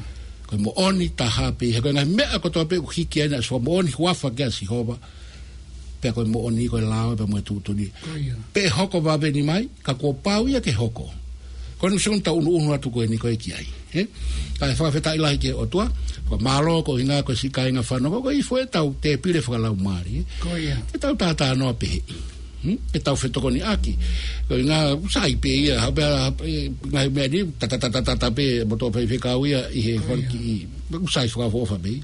Ko e moʻoni taha pē ia. He ko e ngaahi meʻa kotoa pē ʻoku hiki ai ʻena ʻosi fakamoʻoni huafa kia Sihova. Pea ko e moʻoni, ko e lao, pea mo e tuʻutuʻuni. Ko ia. Pe ʻe hoko vave ni mai, ka kuo pau ia ke hoko. Ko eni ʻoku tau ʻunuʻunu atu ko eni ko e ki ai. He? Kae fakafetaʻi lahi ki he ʻOtua, ko e mālō ko e ʻuhinga ko e siʻi kāinga fanongo, ko e ifo ʻetau tēpile fakalaumālie. Ko ia. Ke tau tātānoa pehē. Hmm? Ke tau fetokoniʻaki. Ko e ʻuhinga sai pē ia, ha pea, e, ngaahi meʻa ni, ta, ta, ta, ta, ta, ta pē, mo tō pē fekau ia, ʻi he fanga kiʻi, sai fakaʻofoʻofa pē ia.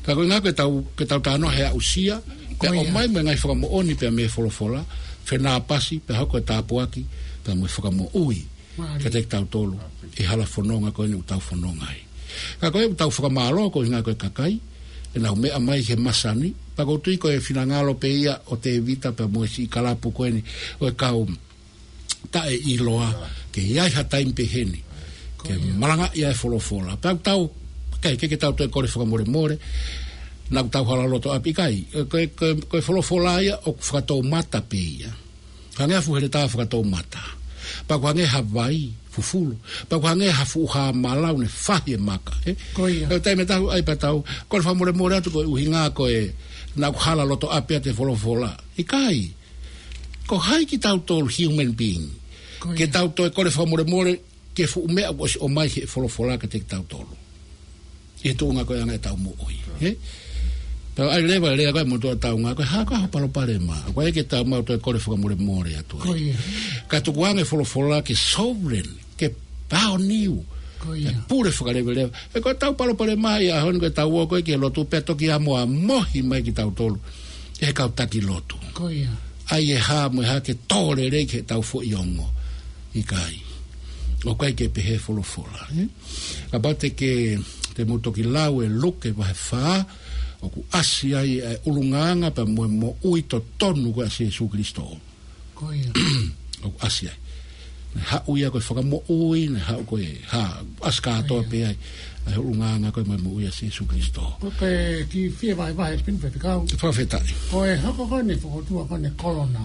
Ka ko e ʻuhinga ke tau, ke tau tānoa he aʻusia, pea ʻomai mo e ngaahi fakamoʻoni pea mei he folofola, fenāpasi, pea hoko e tāpuaki, pea mo e fakamoʻui. Mālie. Kiate kitautolu, ʻi he hala fononga ko eni ʻoku tau fononga ai. Ka ko e ʻoku tau fakamālō ko e ʻuhinga ko e kakai, ʻenau meʻa mai he masani, pea ʻoku ou tui ko e finangalo pē ia ʻo Tēvita pea mo e siʻi kalapu ko eni, ʻo e kau taʻeʻiloa, ke ʻi ai ha taimi pehē ni, ke malangaʻi ʻa e folofola. Pea ʻoku tau, ʻikai ke, ke tau toe kole fakamolemole, naʻa tau hala loto ʻapi ʻikai, ko e, ko e, ko e folofola ia ʻoku fakatoumata pē ia. Hangē ha fuʻu heletā fakatoumata. Pea ʻoku hangē ha vai fufulu. Pea ʻoku hangē ha fuʻu hā malau ne fahi e maka, ē? Ko ia. Pea taimi ʻe taha ʻai pea tau kole fakamolemole atu ko e ʻuhinga ko e naʻa ku hala loto ʻapi ʻa e folofola. ʻIkai. Ko hai kitautolu human being. Ko ia. Ke tau toe kole fakamolemole ki he fuʻu meʻa kuo ʻosi ʻomai he folofola kiate kitautolu. ʻI he tuʻunga ko e anga ʻetau moʻui. He? Pea ʻai leva lea ko e motuʻa taunga, ko e hā ko e palopalema. Ko e ke tau mau toe kole fakamolemole atu ai. Ko ia. Ka tuku ange folofola ke sovereign, ke paoniu. Ko ia. Ke pule fakaleveleva. He ko ʻetau palopalema ʻi he ʻaho ni ko ʻetau ō ko ē ki he lotu pea toki ʻamoʻamohi mai kitautolu. ʻE he kau taki lotu. Ko ia. ʻAi e hā mo e hā ke tō lelei ki heʻetau foʻi ongo. ʻIkai. ʻOku ʻikai ke pehē folofola, ē? Kapau te ke, te mou toki lau e Luke vahe fā, ʻoku ʻasi ai e ʻulungaanga pea mo e moʻui totonu ko ē ʻa Sīsū Kalaisi. Ko ia. ʻOku ʻasi ai. Naʻe haʻu ia ko e fakamoʻui, naʻe haʻu ko e hā, ʻasi kātoa pē ai. ʻA e ʻulungaanga ko ē mo e moʻui ʻa Sīsū Kalaisi. Ko e kiʻi fie vahevahe pē pea fekau. Fakafetaʻi. Ko e hoko ko eni e fokoutua ko eni e kolona.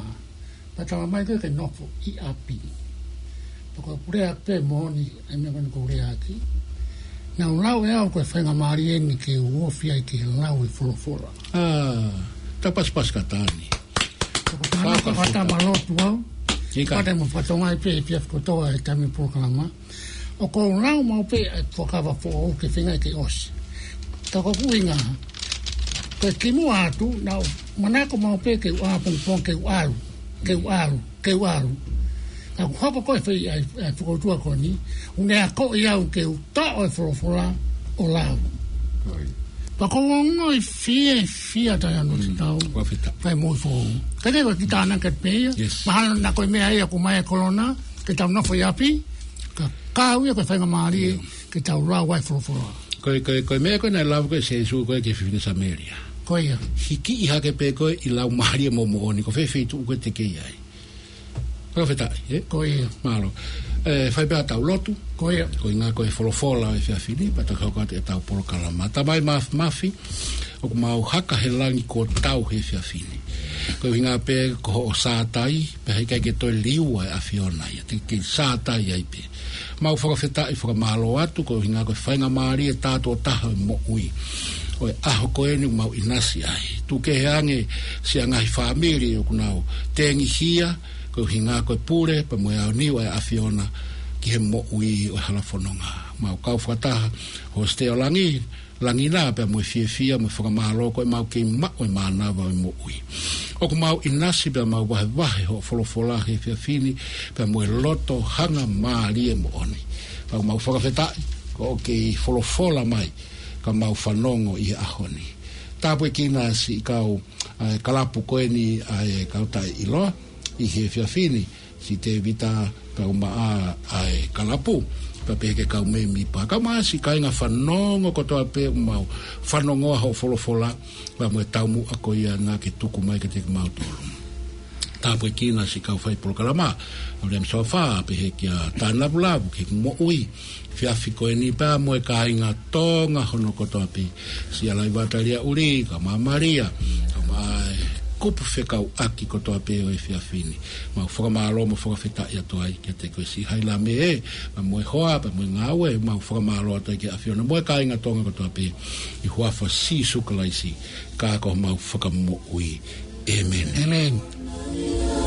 Pea tala mai ko ē ke nofo ʻi ʻapi. Pea ko e pule ʻapi pē moʻoni, ʻa e meʻa ko eni ʻoku ou lea ʻaki. Naʻa ku lau ʻe au ko e faingamālie eni ke u ofi ai ke lau e folofola. ʻĀ, ta paspas katani. Ko e tana ko e kata ma lotu au. ʻIkai. Pea te mo fatonga ai pē ʻi he efiafi kotoa he taimi polokalama. ʻOku ou lau maʻu pē ʻa e fuakava foʻou ke feinga ke ʻosi. Ka ko ʻeku ʻuhinga, ko e kimuʻa atu, naʻa ku manako maʻu pē ke u ʻā pongipongi ke u ʻalu, ke u ʻalu, ke u ʻalu. Ka kuo hoko ko ē fai ʻa e, ʻa e fokoutua ko eni, ʻoku ne akoʻi au ke u toʻo e folofola ʻo lau. Pea ʻoku ou ongoʻi fiefia taʻeʻaonga ʻi he ʻaho ni. Fakafetaʻi. Fai moʻui foʻou. Ka te ko e kiʻi tānaki pē ia. Yes. Mahalo naʻa ko e meʻa ia ʻoku ʻomai e kolona, ke tau nofo ʻi ʻapi, ka kau ia ko e faingamālie, ke tau lau ai e folofola. Ko e, ko e, ko e meʻa ko ē naʻe lau ko ē ʻe Sīsū ko ē ki he fefine Samēlia. Ko ia. Hikiʻi hake pē ko ē ʻi he laumālie mo e moʻoni, ko fē feituʻu ko ē te ke ʻi ai. Fakafetaʻi, ē? Ko ia. Mālō. ʻE, fai pē ʻetau lotu. Ko ia. Ko e ʻuhinga ko e folofola ʻo e efiafi ni, pea toki hoko atu ʻetau polokalama. Tamai Māfimafi, ʻoku mau haka he langi kuo tau he efiafi ni. Ko e ʻuhinga pē ko hoʻo sātai, pea heʻikai ke toe liua e ʻAfiona ia, te ke sātai ai pē. Mau fakafetaʻi fakamālō atu, ko e ʻuhinga ko e faingamālie tātuʻo taha ʻo e moʻui. ʻO e ʻaho ko eni ʻoku mau ʻinasi ai. Tuku kehe ange siʻa ngaahi fāmili ʻoku nau tengihia, ko e ʻuhinga ko e pule, pea mo e aoniu ʻa e ʻAfiona ki he moʻui ʻo e hala fononga. Mau kau fakataha, Hositē ʻo Langi, Langi na pea mo e fiefia mo e fakamālō ko ʻemau kei maʻu e mānava ʻo e moʻui. ʻOku mau ʻinasi pea mau vahevahe hoʻo folofola he efiafi ni pea mo e loto hangamālie moʻoni. Pea mau fakafetaʻi ko hoʻo kei folofola mai ka mau fanongo ʻi he ʻaho ni. Tāpuekina siʻi kau, ʻa e kalapu ko eni ʻa e kau taʻeʻiloa ʻi he efiafi ni, siʻi Tēvita Pea ʻumaʻā ʻa e kalapu, pea pehē ki he kau mēmipa, kae ʻumaʻā siʻi kāinga fanongo kotoa pē ʻoku mau fanongoa hoʻo folofola, pea mo e taumuʻa ko ia naʻa ke tuku mai kiate kimautolu. Tāpuekina siʻi kau fai polokalama, ʻa William Sofa, pehē kia Tānavulavu, ki he moʻui, efiafi ko eni pea mo e kāinga Tonga hono kotoa pē, siʻi Alaiva Taliaʻuli, kae ʻumaʻā Malia, kae ʻumaʻā e kupu fekauʻaki kotoa pē ʻo e efiafi ni. Mau fakamālō mo fakafetaʻi atu ai kiate koe siʻi Hailame ē, pea mo e hoa, pea mo e ngāue, mau fakamālō atu ai ki he ʻAfiona mo e kāinga Tonga kotoa pē, ʻi he huafa ʻo Sīsū Kalaisi, ka ko homau Fakamoʻui. ʻĒmeni. ʻĒmeni.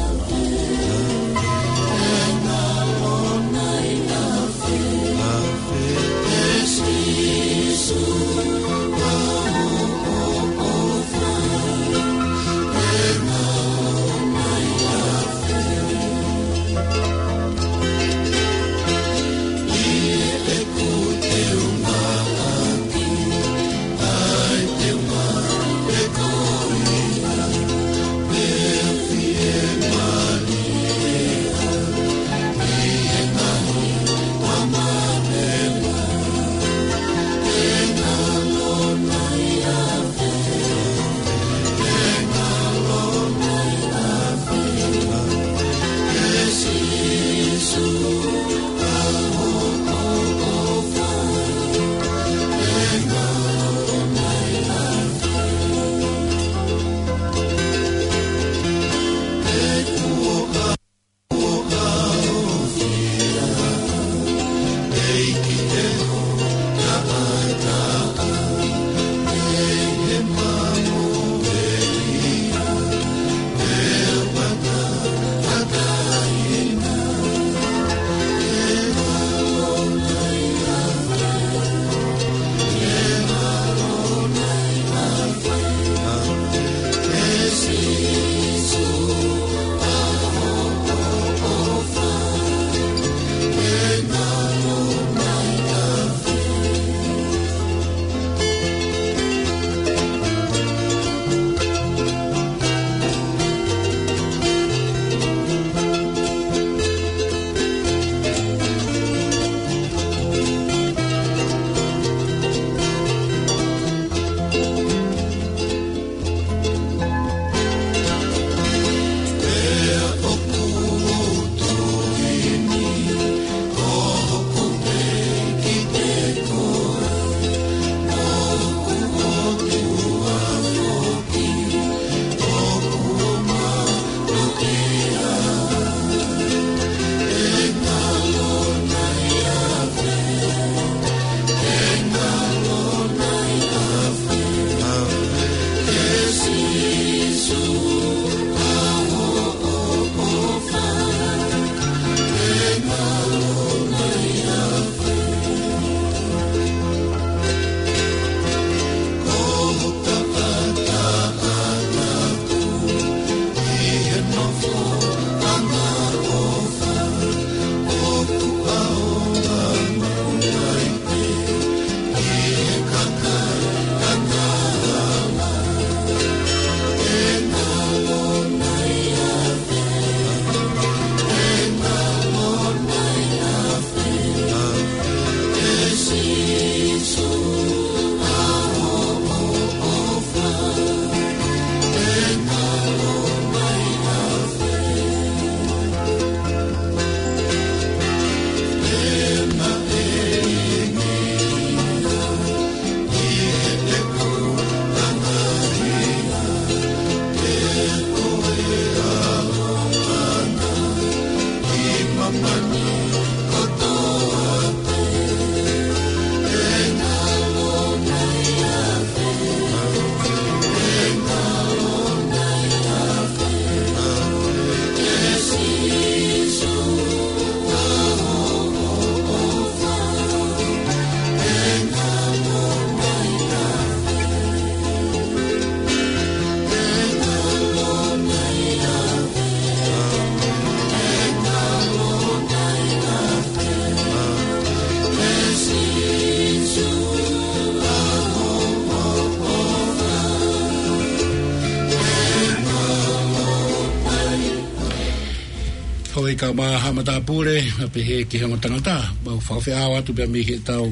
Tau maʻu ha matāpule, ʻa pehē ki he ongo tangata, mau fakafeʻao atu pea mei he tau,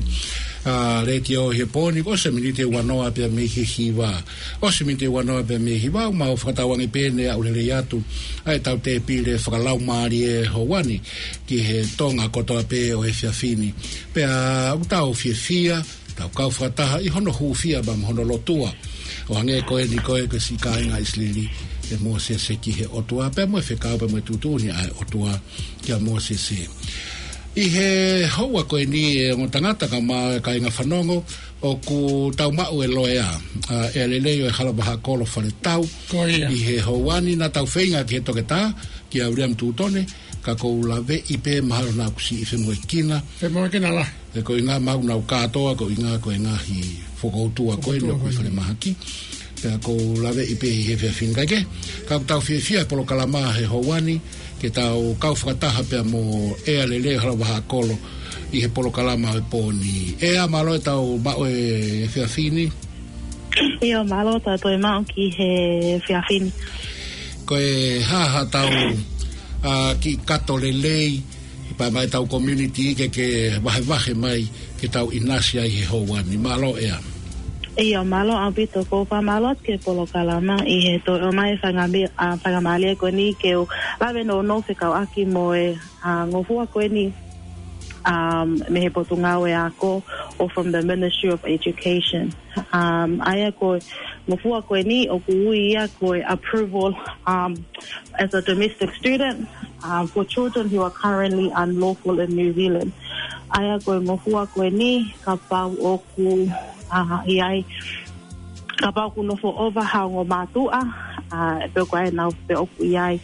ʻa, letiō he pō ni, ʻosi e miniti ʻe uanoa pea mei he hiva. ʻOsi e miniti ʻe uanoa pea mei he hiva, mau fakatauange pē ʻe ʻaʻu lelei atu ʻa e tau tēpile fakalaumālie houa ni ki he Tonga kotoa pē ʻo e efiafi ni. Pea ʻoku tau fiefia, tau kau fakataha ʻi hono hūfia pea mo hono lotua. ʻO hangē ko eni ko e, ko e siʻi kāinga ʻIsileli, ʻe Mōsese ki he ʻOtua, pea mo e fekau, pea mo e tuʻutuʻuni ʻa e ʻOtua kia Mōsese. ʻI he houa ko eni ʻe ongo tangata kae ʻumaʻā e kāinga fanongo, ʻoku tau maʻu e loea, ʻa, ʻEa Lelei ʻo e Hala Vaha Kolo Faletau. Ko ia. ʻI he houa ni naʻa tau feinga ki he toketā, kia William Tutone, ka ʻoku ou laveʻi pē mahalo naʻa ku siʻi femoʻuekina. Femoʻuekina lahi. He ko e ʻuhinga maʻu naʻa ku kātoa, ko e ʻuhinga ko e ngaahi fokoutua ko eni ʻoku ʻi falemahaki. Pea ʻoku ou laveʻi pē ʻi he efiafi ni kae kehe. Ka ʻoku tau fiefia he polokalama he houa ni, ke tau kau fakataha pea mo ʻEa Lelei ʻo e Hala Vaha Kolo ʻi he polokalama he pō ni. ʻEa, mālō e tau maʻu e efiafi ni. ʻIo, mālō e tau toe maʻu ki he efiafi ni. Ko e hā haʻatau, ʻa, kiʻi kato lelei, ʻi pā mai tau community ke, ke vahevahe mai, ke tau ʻinasi ai he houa ni. Mālō ʻEa. ʻIo, mālō ʻaupito, ʻoku ou fakamālō atu ki he polokalama ʻi he toe ʻomai e fanga mi-, ʻa, faingamālie ko eni ke u lave nounou fekauʻaki mo e, ʻa, ngofua ko eni, um, mei he Potungāue Ako, or from the Ministry of Education. Um, ʻa ia ko e ngofua ko eni ʻoku ui ia ko e approval, um, as a domestic student, um, for children who are currently unlawful in New Zealand. ʻA ia ko e ngofua ko eni kapau ʻoku, ʻa, ʻi ai, kapau ʻoku nofo ʻova ha ongo mātuʻa, ʻa, pe ko e nau pe ʻoku ʻi ai,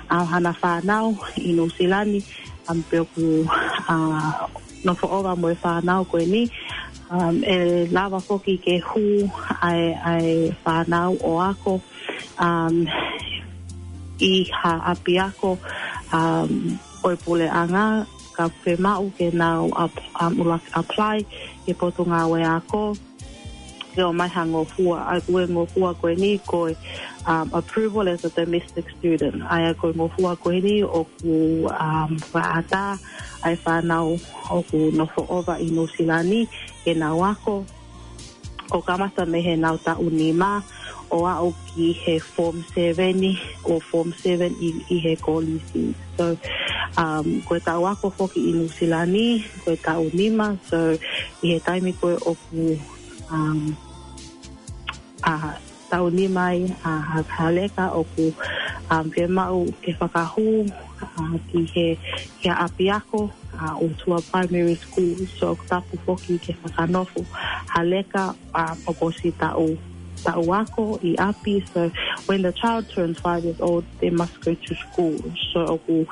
ʻa, hana fānau ʻi Nuʻusila ni, um, pe ʻoku, ʻa, nofo ʻova mo e fānau ko eni, um, ʻe lava foki ke hū ʻa e, ʻa e fānau ʻo ako, um, ʻi ha ʻapiako, um, ʻo e puleʻanga, ka fiemaʻu ke nau ap-, um, ula-, apply ki he Potungāue Ako, ke ʻomai ha ngofua, ʻa ia ko e ngofua ko eni ko e, um, approval as a domestic student. ʻA ia ko e ngofua ko eni ʻoku, um, fakaʻatā ʻa e fānau ʻoku nofo ʻova ʻi Nuʻusila ni ke nau ako, ʻo kamata mei he nau taʻu nima, ʻo aʻu ki he form seven ʻi, ʻo form seven ʻi, ʻi he kolisi. So, um, ko e taʻu ako foki ʻi Nuʻusila ni, ko e taʻu nima. So, ʻi he taimi ko ē ʻoku, um, ʻa, taʻu nima ai, ʻa, ha, ha leka ʻoku, um, fiemaʻu ke fakahū, ʻa, ki he, ki ha ʻapiako, ʻa, ʻo tuʻa primary school. So, ʻoku tapu foki ke fakanofo ha leka, um, ʻoku ʻosi taʻu, taʻu ako ʻi ʻapi. So, when the child turns five years old, they must go to school. So, ʻoku,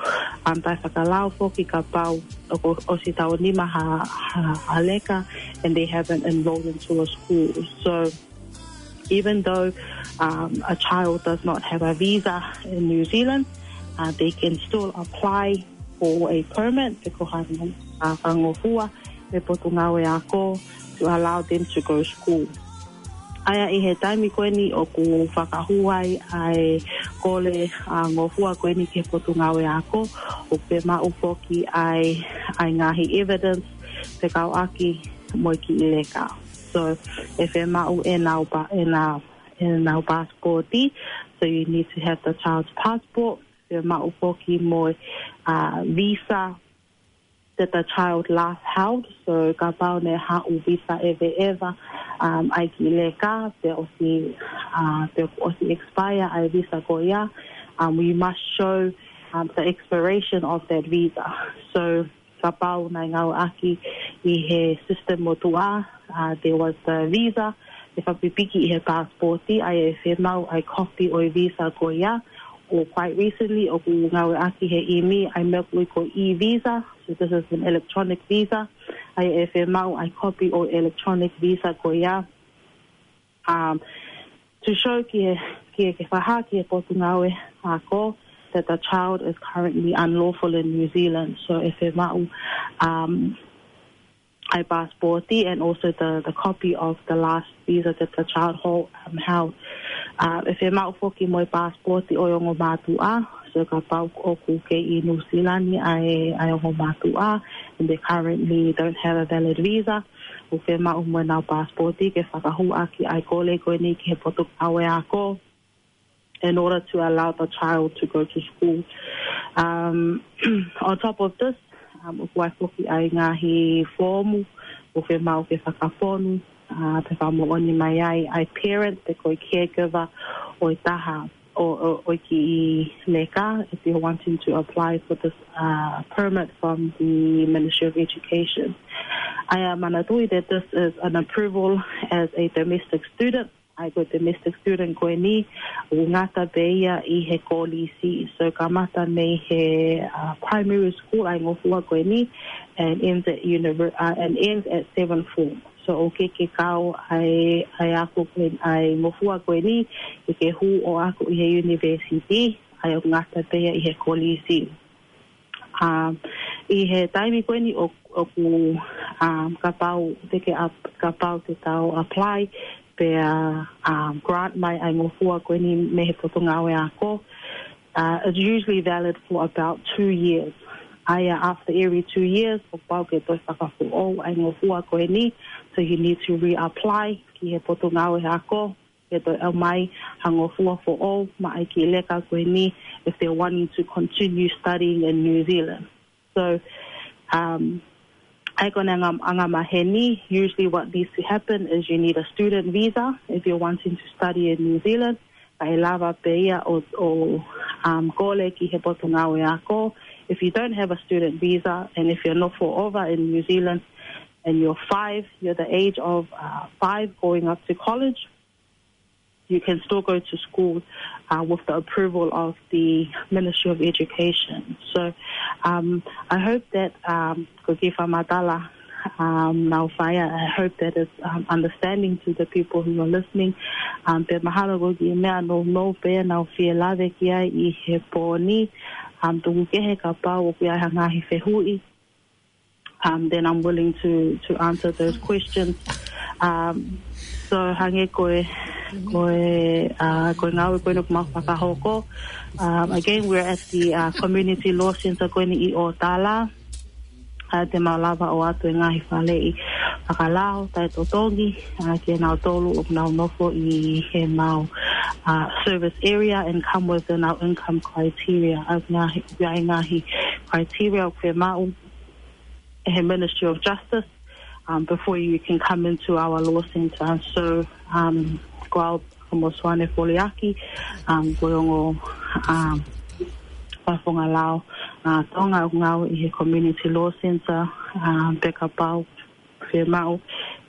um, taʻefakalao foki kapau ʻoku ʻosi taʻu nima ha, ha, ha leka, and they haven't enrolled into a school. So, even though, um, a child does not have a visa in New Zealand, uh, they can still apply for a permit, pe ko ha, uh, ngofua mei he Potungāue Ako, to allow them to go school. ʻA ia ʻi he taimi ko eni ʻoku fakahū ai ʻa e kole, ʻa, ngofua ko eni ki he Potungāue Ako, ʻoku fiemaʻu foki ʻa e, ʻa e ngaahi evidence fekauʻaki mo e kiʻi leka. So, ʻe fiemaʻu ʻenau pa-, ʻena-, ʻenau passport. So you need to have the child's passport. Fiemaʻu foki mo e, uh, visa that the child last held. So kapau naʻe haʻu visa ʻeveʻeva, um, ʻa e kiʻi leka, pe ʻosi, uh, pe ʻosi expire ʻa e visa ko ia, um, we must show, um, the expiration of that visa. So kapau naʻe ngāueʻaki ʻi he system motuʻa, uh, there was the visa, ʻe fakapipiki ʻi he passport, ʻa ia ʻe fiemaʻu ʻa e copy ʻo e visa ko ia, or quite recently, ʻoku ngāueʻaki he ʻimi, ʻa e meʻa ʻoku ui ko e e-visa, so this is an electronic visa, ʻa ia ʻe fiemaʻu ʻa e copy ʻo e electronic visa ko ia, um, to show ki he, ki he, ke fakahā ki he Potungāue Ako that the child is currently unlawful in New Zealand. So ʻe fiemaʻu, um, passport and also the, the copy of the last visa that the child hold, um, held. Uh, ʻe fiemaʻu foki mo e passport ʻo e ongo mātuʻa, so kapau ʻoku kei ʻi New Zealand ʻa e, ʻa e ongo mātuʻa, and they currently don't have a valid visa, ʻoku fiemaʻu mo ʻenau passport ke fakahūʻaki ʻa e kole ko eni ki he potungāue ako in order to allow the child to go to school. Um, on top of this, um, ʻoku ʻi ai foki ʻa e ngaahi foomu ʻoku fiemaʻu ke fakafonu, uh, pea fakamoʻoni mai ai ʻa e parent pe ko e caregiver ʻo e taha ʻo, ʻo, ʻo e kiʻi leka, if you're wanting to apply for this, uh, permit from the Ministry of Education. ʻA ia manatuʻi that this is an approval as a domestic student, ʻa ia ko e domestic student ko eni, ʻoku ngata pē ia ʻi he kolisi. So kamata mei he, uh, primary school ʻa e ngofua ko eni, and ends at univer-, uh, and ends at seventh form. So ʻoku ʻikai ke kau ʻa e, ʻa e ako ko eni, ʻa e ngofua ko eni, ke ke hū ʻo ako ʻi he university, ʻa ia ʻoku ngata pē ia ʻi he kolisi. Um, ʻi he taimi ko eni ʻo, ʻoku, um, kapau te ke ap-, kapau te tau apply, pea, um, grant mai ʻa e ngofua ko eni mei he potungāue ako, uh, it's usually valid for about two years. ʻA ia after every two years, ʻoku pau ke toe fakafoʻou ʻa e ngofua ko eni, so you need to reapply ki he potungāue ako, ke toe ʻomai ha ngofua foʻou maʻa e kiʻi leka ko eni if they're wanting to continue studying in New Zealand. So, um, ʻa ia ko e anga, angamaheni, usually what needs to happen is you need a student visa if you're wanting to study in New Zealand. Kae lava pē ia ʻo, ʻo, um, kole ki he potungāue ako. If you don't have a student visa and if you're nofo ʻova in New Zealand and you're five, you're the age of, uh, five going up to college, you can still go to school, uh, with the approval of the Ministry of Education. So, um, I hope that, um, ko e kiʻi fakamatala, um, naʻa ku fai, I hope that is, um, understanding to the people who are listening. Um, pea mahalo ko e kiʻi meʻa nounou pē naʻa ku fie lave ki ai ʻi he pō ni, um, tuku kehe kapau ʻoku ʻi ai ha ngaahi fehuʻi, um, then I'm willing to, to answer those questions. Um, so hangē ko e, ko e, uh, ko e ngāue ko eni ʻoku mau fakahoko. Um, again, we're at the, uh, Community Law Centre ko eni ʻi ʻOtala. Uh, te mau lava ʻo ʻoatu e ngaahi faleʻi fakalao taʻetotongi, uh, kia nautolu ʻoku nau nofo ʻi he mau, uh, service area and come within our income criteria. ʻA ia ngaahi, ʻa ia ngaahi criteria ʻoku fiemaʻu ʻe he Ministry of Justice, um, before you can come into our law centre. So, um, ko au ko Mosuane Foliaki, um, ko e ongo, um, fakafofonga lao, uh, Tonga ʻoku ngāue ʻi he Community Law Centre, um, pea kapau fiemaʻu,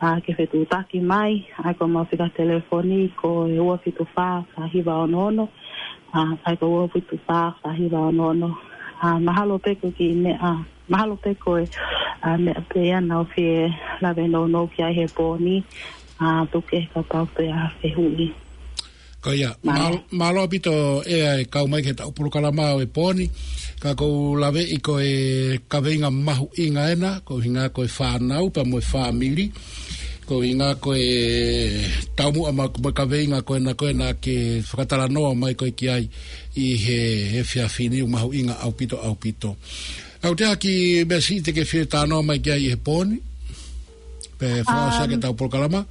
uh, ke fetuʻutaki mai, ʻa ia ko ʻemau fika telefoni ko e ua fitu fā fā hiva ono ono, uh, ʻa ia ko e ua fitu fā fā hiva ono ono, uh, mahalo pē ko e kiʻi meʻa, uh, mahalo pē ko e, uh, meʻa pē ia naʻa ku fie lave nounou ki ai he pō ni, uh, tuku kehe kapau pē ʻe ʻi ai ha fehuʻi. Ko ia, mālō. Mālō, mālō ʻaupito ʻEa e kau mai ki heʻetau polokalama ʻo e pō ni, ka ʻoku ou laveʻi ko e kaveinga mahuʻinga ena, ko e ʻuhinga ko e fānau pea mo e fāmili, ko e ʻuhinga ko e taumuʻa mo e kaveinga ko ena ko ena ke fakatalanoa mai ko ē ki ai ʻi he, he efiafi ni, ʻoku mahuʻinga ʻaupito, ʻaupito. ʻOku ʻi ai ha kiʻi meʻa siʻi te ke fie talanoa mai ki ai ʻi he pō ni? Pe fakaʻosi ake ʻetau polokalama.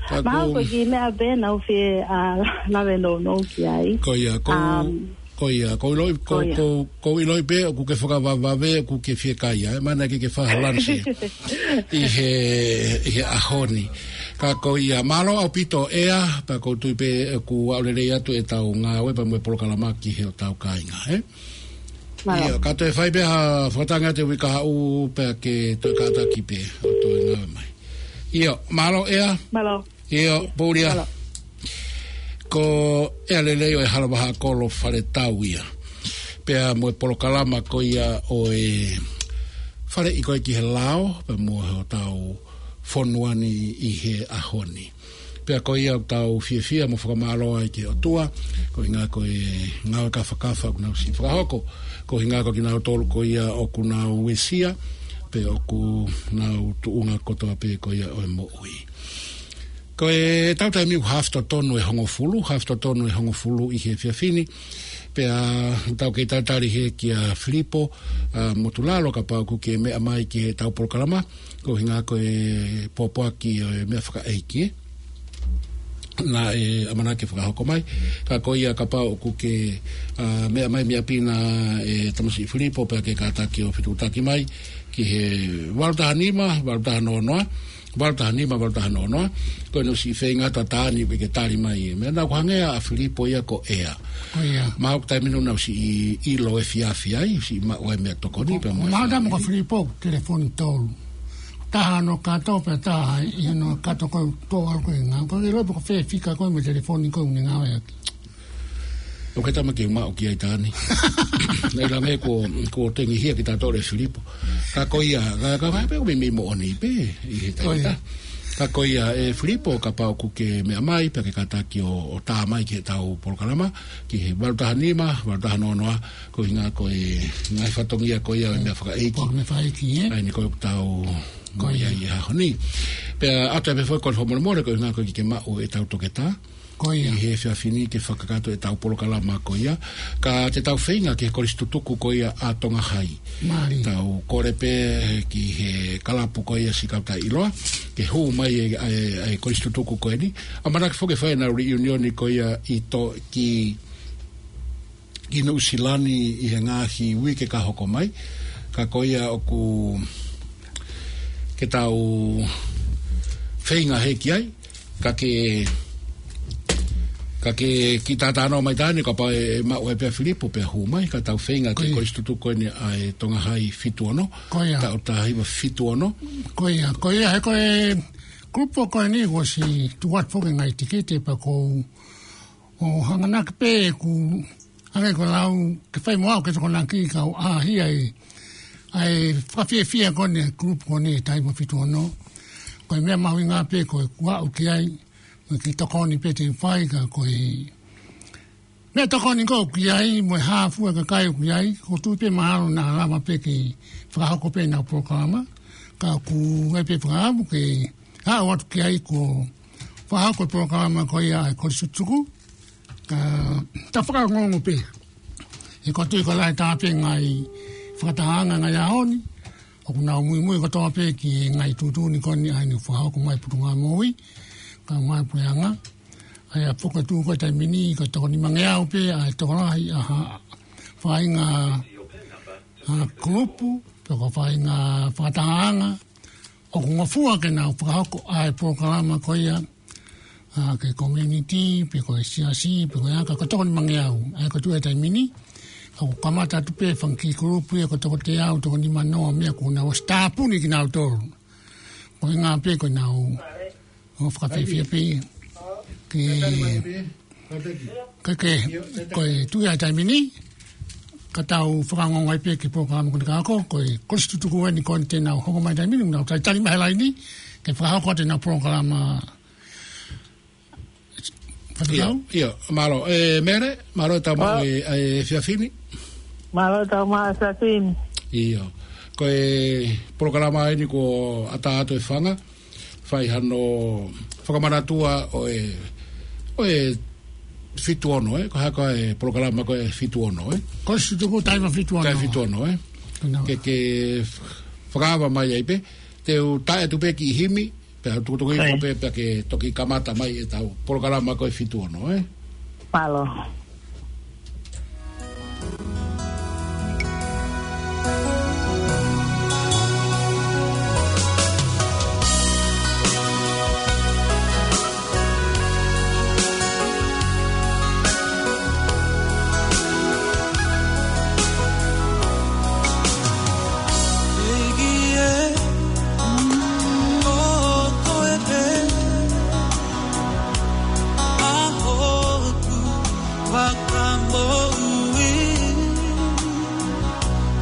Ka mahalo ko e kiʻi meʻa pē naʻa ku fie, uh, lave nounou ki ai. Ko ia, ko, um, ko ia, ʻoku ou ʻiloʻi, ko, ko ia, ʻoku ou ʻiloʻi pē ʻoku ke fakavavevave, ʻoku ke fiekaia, ʻe, mahalo naʻe ʻikai ke ke fai ha lunch ʻi he, ʻi he ʻaho ni. Ka ko ia, mālō ʻaupito ʻEa, pea ʻoku ou tui pē ʻoku aʻu lelei atu ʻetau ngāue pea mo e polokalama ki he hotau kāinga, ē? Mālō. ʻIo, ka toe fai pē ha fakatanga te uika haʻu pea ke toe kātaki pē ʻo toe ngāue mai. ʻIo, mālō ʻEa. Mālō. ʻIo, pōlia. Mālō. Ko ʻEa Lelei ʻo e Hala Vahaʻakolo Faletau ia. Pea mo e polokalama ko ia ʻo e faleʻi ko ē ki he lao, pea mo hotau fonua ni ʻi he ʻaho ni. Pea ko ia ʻoku tau fiefia mo fakamālō ai ki he ʻOtua, ko e ʻuhinga ko e ngāue kafakafa ʻoku nau siʻi fakahoko, ko e ʻuhinga ko kinautolu ko ia ʻoku nau uesia, Pea ʻoku nau tuʻunga kotoa pē ko ia ʻo e moʻui. Ko e tau taimi ʻoku haʻu totonu e hongofulu, haʻu totonu e hongofulu ʻi he efiafi ni. Pea tau kei talitali hē kia Filipo, ʻa, Motulalo kapau ʻoku ke meʻa mai ki he tau polokalama, ko e ʻuhinga ko e pōpoaki ʻo e meʻa fakaʻeiki, ē. Naʻe ʻamanaki ke fakahoko mai. Ka ko ia kapau ʻoku ke, ʻa, meʻa mai mei ʻapi na ʻe Tamasiʻi Filipo pea ke kātaki ʻo fetuʻutaki mai ki he valu taha nima, valu taha noa noa, valu taha nima, valu taha noa noa. Ko ʻene ʻosi feinga atu ʻa Tani ke ke tali mai. Meʻa naʻa ku hangē ʻa Filipo ia ko ʻea. Ko ia. Mahalo ko e taimi naʻa ku ʻosi ʻi, ʻilo efiafi ai, ʻosi maʻu ai meʻatokoni pea mo e fāmili. Mahalo ko Filipo, telefoni tolu. Taha hono kato pea taha ʻi hono kato ko e tō ʻalu ko e ngāue. Ko e ʻilo pe ko fē fika ko e mo e telefoni ko e ʻuhinga ʻo e ʻaki. ʻOku ke tama ke maʻu ki ai Tani. Naʻe ʻikai ngata ai ko, ko e tengihia kitautolu ʻe Filipo. Ka ko ia, ka, ka, ka pē ʻoku meimei moʻoni pē, ʻi he taimi. Ko ia. Ka ko ia, ʻe Filipo, kapau ʻoku ke meʻa mai, pea ke kātaki ʻo, ʻo tā mai ki he tau polokalama, ki he valu taha nima, valu taha noa noa, ko e ʻuhinga ko e ngaahi fatongia ko ia ʻo e meʻa fakaʻeiki. Ko e meʻa fakaʻeiki, ē? ʻA eni ko e tau Ko ia. Ia, ia, ʻaho ni. Pea ʻoatu pē foki ko e fakamolemole, ko e ʻuhinga ko e ʻikai ke maʻu e tau toketā. Ko ia. ʻI he efiafi ni ke fakakakato e tau polokalama ko ia. Ka te tau feinga ki he kolisi tutuku ko ia ʻa Tonga Hai. Mālie. Tau kole pē ki he kalapu ko ia Siʻi Kau Taʻeʻiloa, ke hū mai e, e, e kolisi tutuku ko eni. ʻAmanaki foki ke fai ʻenau reunion ko ia ʻi To-, ki, ki Nuʻu Sila ni ʻi he ngaahi uike ka hoko mai. Ka ko ia ʻoku ke tau feinga hē ki ai. Ka ke, ka ke kiʻi talanoa mai Tani, kapau ʻe maʻu ai pē ʻa Filipo pea hū mai, ka tau feinga ki he kolisi tutuku ko eni ʻa e Tonga Hai fitu ono. Ko ia. Taʻu taha hiva fitu ono. Ko ia, ko ia, he ko e kulupu ko eni kuo ʻosi tuku atu foki e ngaahi tikite pea ʻoku ou hanganaki pē ʻeku hangē ko e lau ke fai mo au ke tokonaki ka u ʻaʻahi ai ʻa e fakafiefia ko eni e kulupu ko eni ʻa e Taha hiva fitu ono. Ko e meʻa mahuʻinga pē ko e kuo aʻu ki ai, mo e kiʻi tokoni pē te u fai ka ko e meʻatokoni ko ē ʻoku ʻi ai, mo e hā fua e kakai ʻoku ʻi ai, ʻoku ou tui pē mahalo naʻa lava pē ke fakahoko pē ʻenau polokalama, ka ʻoku ʻi ai pē fakaʻamu ke aʻu atu ki ai kuo fakahoko e polokalama ko ia ʻa e kolisi tutuku, ka ta fakaongoongo pē. He ʻoku ou tui ko e lahi taha pē ngaahi fakatahaʻanga ngaahi ʻaho ni, ʻoku nau muimui kotoa pē ki he ngaahi tuʻutuʻuni ko eni ʻa eni ʻoku fakahoko mai Puleʻanga Moʻui, kae ʻumaʻā e puleʻanga. ʻA ia ʻoku fokotuʻu ko e taimi ni, ko e toko nimangeau pē ʻa e tokolahi ʻa ha faʻahinga, ʻa, kulupu, pe ko e faʻahinga fakatahaʻanga ʻoku ngofua ke nau fakahoko ʻa e polokalama ko ia, ʻa, ki he community, pe ko e siasi, pe ko e aka, ko e toko nimangeau. ʻA ia ʻoku tuʻu he taimi ni, ʻoku kamata atu pē fanga kiʻi kulupu ia ko e toko teau, toko nimanoa, meʻa kuo nau ʻosi tāpuni kinautolu. Ko e ʻuhinga pē ko ʻenau ʻo fakafiefia pē. Ke, ke, ke, ko e tuʻu ia he taimi ni, ka tau fakaongoongo ai pē ki he polokalama ko eni ka hoko, ko e kolisi tutuku eni ko eni te nau hoko mai he taimi ni, nau talitali mai he laini, ke fakahoko atu ʻenau polokalama. ʻIo, ʻio, mālō. ʻE, Mere, mālō e tau maʻu e, e efiafi ni. Mālō e tau maʻu e efiafi ni. ʻIo. Ko e polokalama eni kuo ʻatā atu e fanga, fai hano fakamanatua ʻo e, ʻo e fitu ono, ē? Ko e hā ko ā e polokalama ko e fitu ono, ē? Kolisi tutuku Taha hiva fitu ono. Taha hiva fitu ono, ē? Ke, ke fakaava mai ai pē, te u taʻe atu pē kiʻi himi, pea tukutuku hifo pē, pea ke toki kamata mai e tau polokalama ko e fitu ono, ē? Mālō. Fakamoʻui,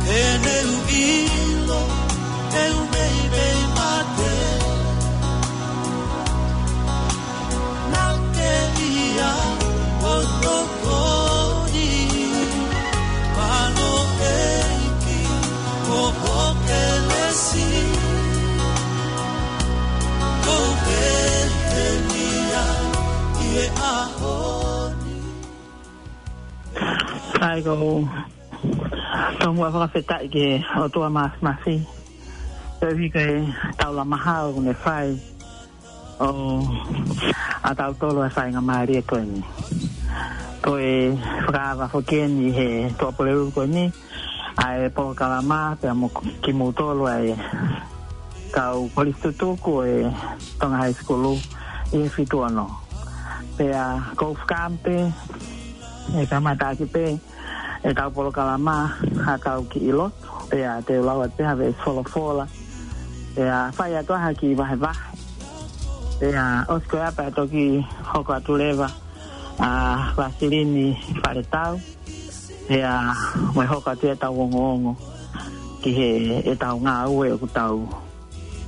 he naʻá ku ʻilo, ʻe u meimei mate. Naʻá ke ʻi ai ʻo tokoni, mālō ʻEiki, ʻo ho kelesi. Ko e tomuʻa fakafetaʻi ki he ʻOtua Māfimafi. Koeʻuhi ko e taulama hao ʻoku ne fai ʻo ʻa tautolu ʻa e faingamālie ko eni. Ko e fakaava foki eni he Tuʻapulelulu ko eni ʻa e polokalama pea mo kimoutolu ʻa e kau kolisi tutuku ʻo e Tonga High School ʻi he fitu ono. Pea ʻoku ou fakaʻamu pē ʻe kamata ʻaki pē ʻetau polokalama ha tau kiʻi lotu, pea te u lau atu pē ha veesi folofola, pea fai atu ha kiʻi vahevahe. Pea ʻosi ko ia pea toki hoko atu leva ʻa Vasilini Faletau, pea mo e hoko atu ʻetau ongoongo ki he ʻetau ngāue ʻoku tau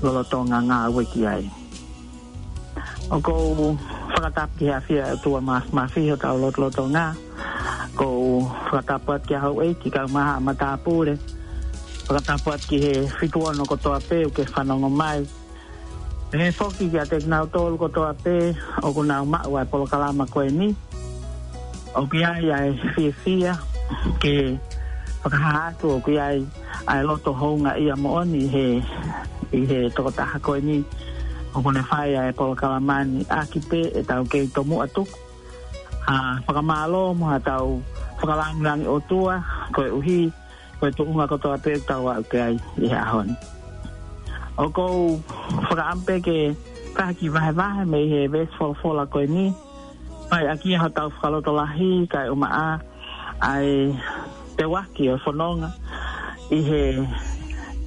lolotonga ngāue ki ai. ʻOku ou fakatapu ki he ʻafio ʻa e ʻOtua Māfimafi hotau lotolotonga. ʻOku ou fakatapu atu ki he houʻeiki, kae ʻumaʻā haʻa matāpule. Fakatapu atu ki he fitu ono kotoa pē ʻoku ke fanongo mai. Pehē foki kiate kinautolu kotoa pē ʻoku nau maʻu ʻa e polokalama ko eni. ʻOku ʻi ai ʻa e fiefia ke fakahā atu ʻoku ʻi ai ʻa e loto houngaʻia moʻoni he, ʻi he tokotaha ko eni ʻoku ne fai ʻa e polokalama ni, ʻaki pē ʻetau kei tomuʻa tuku ha fakamālō mo ha tau fakalāngilangi ʻOtua, koeʻuhi ko e tuʻunga kotoa pē ʻoku tau aʻu ki ai ʻi he ʻaho ni. ʻOku ou fakaʻamu pē ke fai ha kiʻi vahevahe mei he veesi folofola ko eni, fai ʻaki ia hotau fakalotolahi kae ʻumaʻā ʻa e teuaki ʻo e fononga ʻi he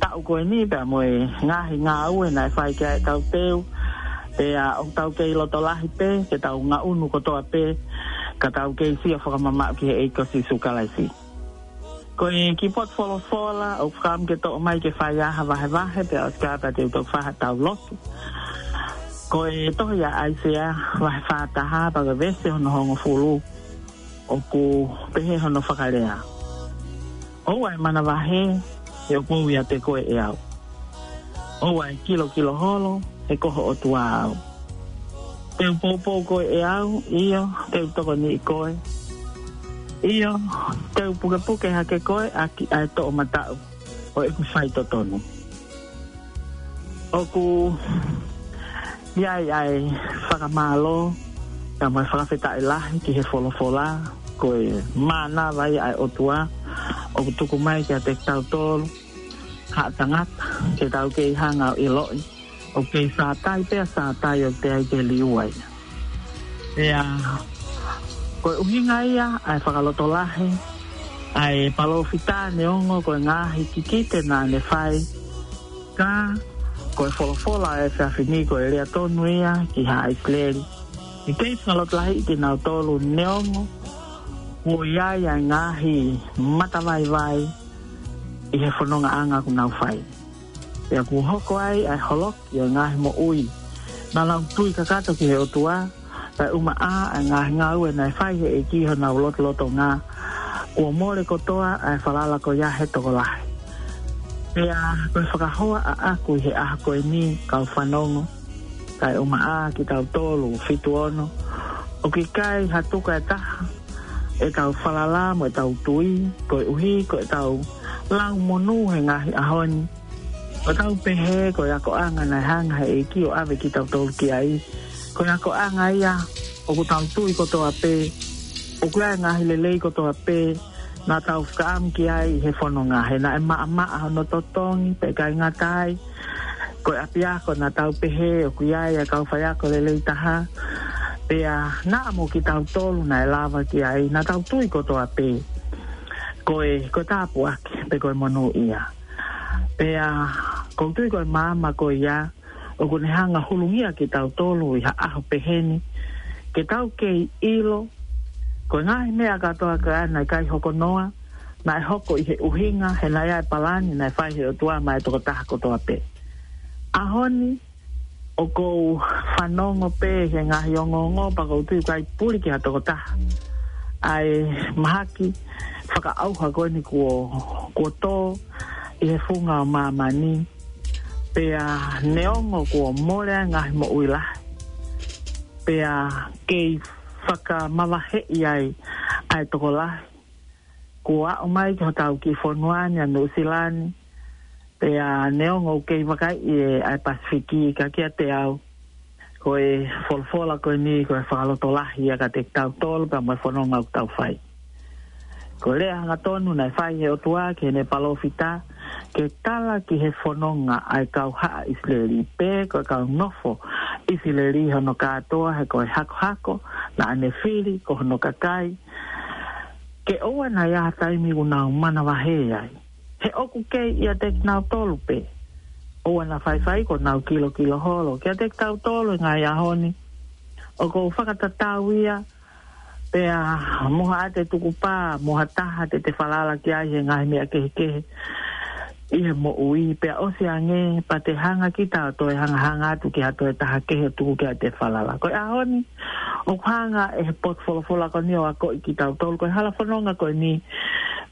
taʻu ko eni pea mo e ngaahi ngāue naʻe fai ki ai ʻetau teu, pea ʻoku tau kei loto lahi pē ke tau ngaʻunu kotoa pē ka tau kei sio fakamamaʻu ki he ʻEiki ko Sīsū Kalaisi. Ko e kiʻi potu folofola ʻoku ou fakaʻamu ke toʻo mai ke fai ai ha vahevahe, pea ʻosi ko ia pea te u toki fai ha tau lotu. Ko e tohi ʻa ʻAisea vahe fā taha pea ko e veesi hono hongofulu, ʻoku pehē hono fakalea: ʻOua ʻe manavahē, he ʻoku ou ʻiate koe ʻe au. ʻOua ʻe kilokilo holo, he ko ho ʻOtua au. Te u poupou koe ʻe au, ʻio, te u tokoniʻi koe. ʻIo, te u pukepuke hake koe ʻaki ʻa e toʻomataʻu ʻo ʻeku faitotonu. ʻOku ʻi ai ʻa e fakamālō, kae ʻumaʻā e fakafetaʻi lahi ki he folofola, ko e mānava ia ʻa e ʻOtua ʻoku tuku mai kiate kitautolu haʻa tangata ke tau kei hanga ʻo ʻiloʻi ʻoku kei sātai pea sātai, ʻoku teʻeki ai ke liua ia. Pea ko e ʻuhinga ia ʻa e fakalotolahi, ʻa e palōfita, neongo ko e ngaahi kikite naʻa ne fai, ka ko e folofola ʻa e efiafi ni ko e lea tonu ia ki haʻa ʻIsileli. ʻIkai fakalotolahiʻi kinautolu neongo kuo ʻi ai ʻa e ngaahi matavaivai ʻi he fonongaʻanga ʻoku nau fai. Pea kuo hoko ai ʻa e holoki ʻo e ngaahi moʻui naʻa nau tui kakato ki he ʻOtua, kae ʻumaʻā ʻa e ngaahi ngāue naʻe fai he ʻEiki ʻi honau lotolotonga, kuo mole kotoa ʻa e falala ko ia he tokolahi. Pea ko e fakahoa ʻaʻaku ʻi he ʻaho ko eni, kau fanongo, kae ʻumaʻā kitautolu fitu ono, ʻoku ʻikai ha tuka ʻe taha ʻetau falala mo ʻetau tui, koeʻuhi ko ʻetau lau monū he ngaahi ʻaho ni. Ko ʻetau pehē ko e akoʻanga naʻe hanga he ʻEiki ʻo ʻave kitautolu ki ai, ko e akoʻanga ia ʻoku tau tui kotoa pē ʻoku ʻi ai e ngaahi lelei kotoa pē naʻa tau fakaʻamu ki ai ʻi he fononga, he naʻe maʻamaʻa hono totongi, pea ʻikai ngata ai, ko e ʻapiako naʻa tau pehē ʻoku ʻi ai ʻa e kau faiako lelei taha, pea naʻa mo kitautolu naʻe lava ki ai, naʻa tau tui kotoa pē ko e, ko e tāpuaki pe ko e monūʻia. Pea ʻoku ou tui ko e maama ko ia ʻoku ne hanga ʻo hulungia kitautolu ʻi ha ʻaho pehē ni, ke tau kei ʻilo ko e ngaahi meʻa kātoa ko ē naʻe ʻikai hoko noa, naʻe hoko ʻi he ʻuhinga, he naʻe ʻi ai e palani naʻe fai he ʻOtua maʻa e tokotaha kotoa pē. ʻAho ni, ʻoku ou fanongo pē he ngaahi ongoongo, pea ʻoku ou tui ʻoku ʻikai puli ki ha tokotaha ʻa e mahaki fakaʻauha ko eni kuo, kuo tō ʻi he funga ʻo māmani. Pea neongo kuo mole ʻa e ngaahi moʻui lahi, pea kei fakamavaheʻi ai ʻa e tokolahi, Kuo aʻu mai ki hotau kiʻi fonua ni ʻa Nuʻusila ni, pea neongo ʻoku kei vakaiʻi ʻa e Pasifiki, ka kiate au, ko e folofola ko eni ko e fakalotolahi ia kiate kitautolu pea mo e fononga ʻoku tau fai. Ko e lea hangatonu naʻe fai he ʻOtua ki heʻene palōfita, ke tala ki he fononga ʻa e kau haʻa ʻIsileli, pe ko e kau nofo ʻIsileli hono kātoa, he ko e hakohako naʻa ne fili ko hono kakai, ke ʻoua naʻa ʻi ai ha taimi ʻoku nau manavahē ai. He ʻoku kei ʻiate kinautolu pē. ʻOua naʻa faifai kuo nau kilokilo holo. Kiate kitautolu he ngaahi ʻaho ni, ʻoku ou fakatatau ia, pea mo haʻate tukupā, mo ha taha te te falala ki ai he ngaahi meʻa kehekehe ʻi he moʻui, pea ʻosi ange, pea te hanga kita ʻo toe hangahanga atu ki ha toe taha kehe ʻo tuku ki ai ʻete falala. Ko e ʻaho ni, ʻoku hanga ʻe he potu folofola ko eni ʻo akoʻi kitautolu, ko e hala fononga ko eni,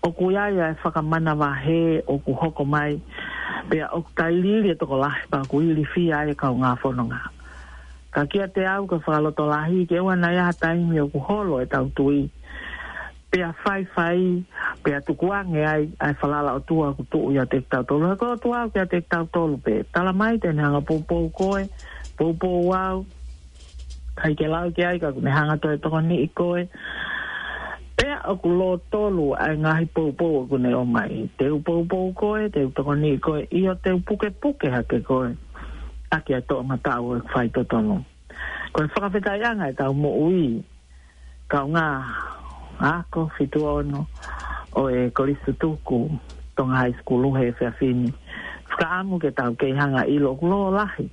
ʻoku ʻi ai ʻa e fakamanavahē ʻoku hoko mai, pea ʻoku tailiili e tokolahi, pea ʻoku ilifia ai e kaungā fononga. Ka kiate au ko e fakalotolahi, ke ʻoua naʻa ʻi ai ha taimi ʻoku holo ʻetau tui, pea faifai, pea tukuange ai ʻa e falala ʻOtua ʻoku tuʻu ʻiate kitautolu. He ko e ʻOtua ʻoku ʻiate kitautolu pē. Tala mai te ne hanga poupou koe, poupou au, ʻikai ke lau ki ai ka ʻoku ne hanga toe tokoniʻi koe. Pea ʻoku lōtolu ʻa e ngaahi poupou ʻoku ne ʻomai. Te u poupou koe, te u tokoniʻi koe, ʻio te u pukepuke hake koe ʻaki ʻa e toʻomataʻu ʻo e faitotonu. Ko e fakafetaʻiʻanga ʻetau moʻui, kaungā ako fitu ono ʻo e Kolisi Tutuku Tonga High School he efiafi ni. Fakaʻamu ke tau kei hanga ʻilo ʻoku lōlahi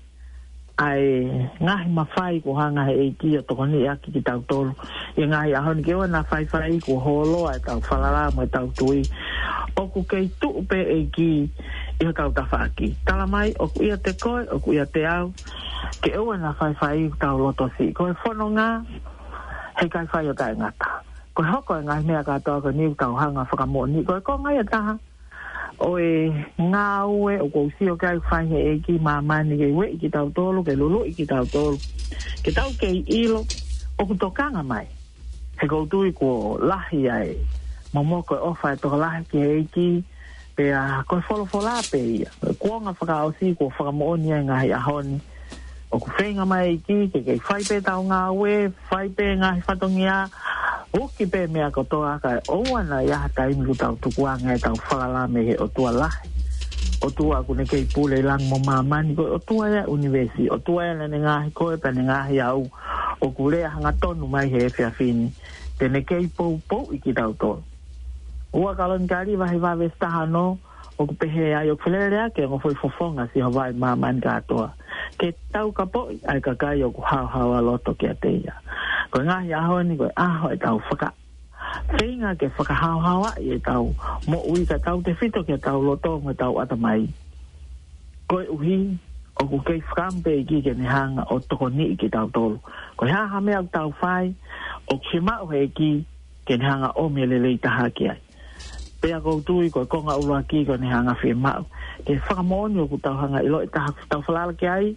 ʻa e ngaahi mafai kuo hanga he ʻEiki ʻo tokoniʻi ʻaki kitautolu ʻi he ngaahi ʻaho ni, ke ʻoua naʻa faifai kuo holo ʻa ʻetau falala mo ʻetau tui. ʻOku kei tuʻu pē ʻEiki ʻi hotau tafaʻaki. Tala mai, ʻoku ʻiate koe, ʻoku ʻiate au, ke ʻoua naʻa faifai ʻoku tau loto siʻi. Ko e fononga, heʻikai fai ʻo taʻengata. Ko e hoko e ngaahi meʻa kātoa ko eni ʻoku tau hanga fakamoʻoni. Ko e konga ia ʻe taha ʻo e ngāue ʻoku ou sio ki ai ʻoku fai he ʻEiki ʻi māmani ke ueʻi kitautolu, ke luluʻi kitautolu. Ke tau kei ʻilo ʻoku tokanga mai. He ʻoku ou tui kuo lahi ai. Momoko e ʻofa ʻa e tokolahi ki he ʻEiki, pea ko e folofola pē ia. Kuonga fakaʻosi kuo fakamoʻoni ai ngaahi ʻaho ni. ʻOku feinga mai ʻEiki, ke kei fai pē ʻetau ngāue, fai pē ngaahi fatongia, uki pē meʻa kotoa, kae ʻoua naʻa ʻi ai ha taimi ʻoku tau tukuange ʻetau falala mei he ʻOtua lahi. ʻOtua ʻoku ne kei pule ʻi langi mo māmani, ko e ʻOtua ia ʻo e ʻunivēsi, ʻOtua ia naʻa ne ngaohi koe, pea ne ngaohi au, ʻoku lea hangatonu mai he efiafi ni, te ne kei poupouʻi kitautolu. Ua Kalonikali vahe hiva veesi taha ono, ʻoku pehē ai ʻoku felelea ke ongo foʻi fofonga ʻa Sihova ʻi māmani kātoa. Ke taukapoʻi ʻa e kakai ʻoku haohaoa loto kiate ia. Ko e ngaahi ʻaho ni ko e ʻaho ʻetau faka-, feinga ke fakahaohaoaʻi ʻetau moʻui kae tautefito ki heʻetau loto mo ʻetau ʻatamai. Koeʻuhi, ʻoku kei fakaʻamu pē ʻEiki ke ne hanga ʻo tokoniʻi kitautolu. Ko e hā ha meʻa ʻoku tau fai, ʻoku fiemaʻu he ʻEiki ke ne hanga ʻo ʻomi e lelei taha ki ai. Pea ʻoku ou tui ko e konga ʻuluaki ko ʻene hanga fiemaʻu ke fakamoʻoni ʻoku tau hanga ʻiloʻi ʻe taha ʻoku tau falala ki ai,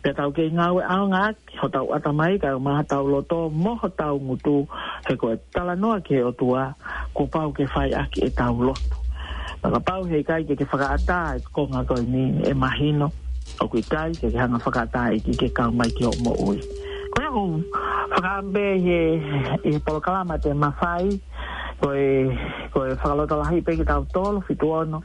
pea tau kei ngāue ʻaonga ʻaki hotau ʻatamai kae ʻumaʻā hotau loto mo hotau ngutu, he ko e talanoa ki he ʻOtua kuo pau ke fai ʻaki ʻetau lotu. Pea kapau heʻikai ke ke fakaʻatā e konga ko eni, ʻe mahino ʻoku ʻikai ke ke hanga fakaʻatā ʻEiki ke kau mai ki hoʻo moʻui. Ko ia ʻoku ou fakaʻamu pē ʻi he, ʻi he polokalama te mafai, ko e, ko e fakalotolahi pē kitautolu, fitu ono.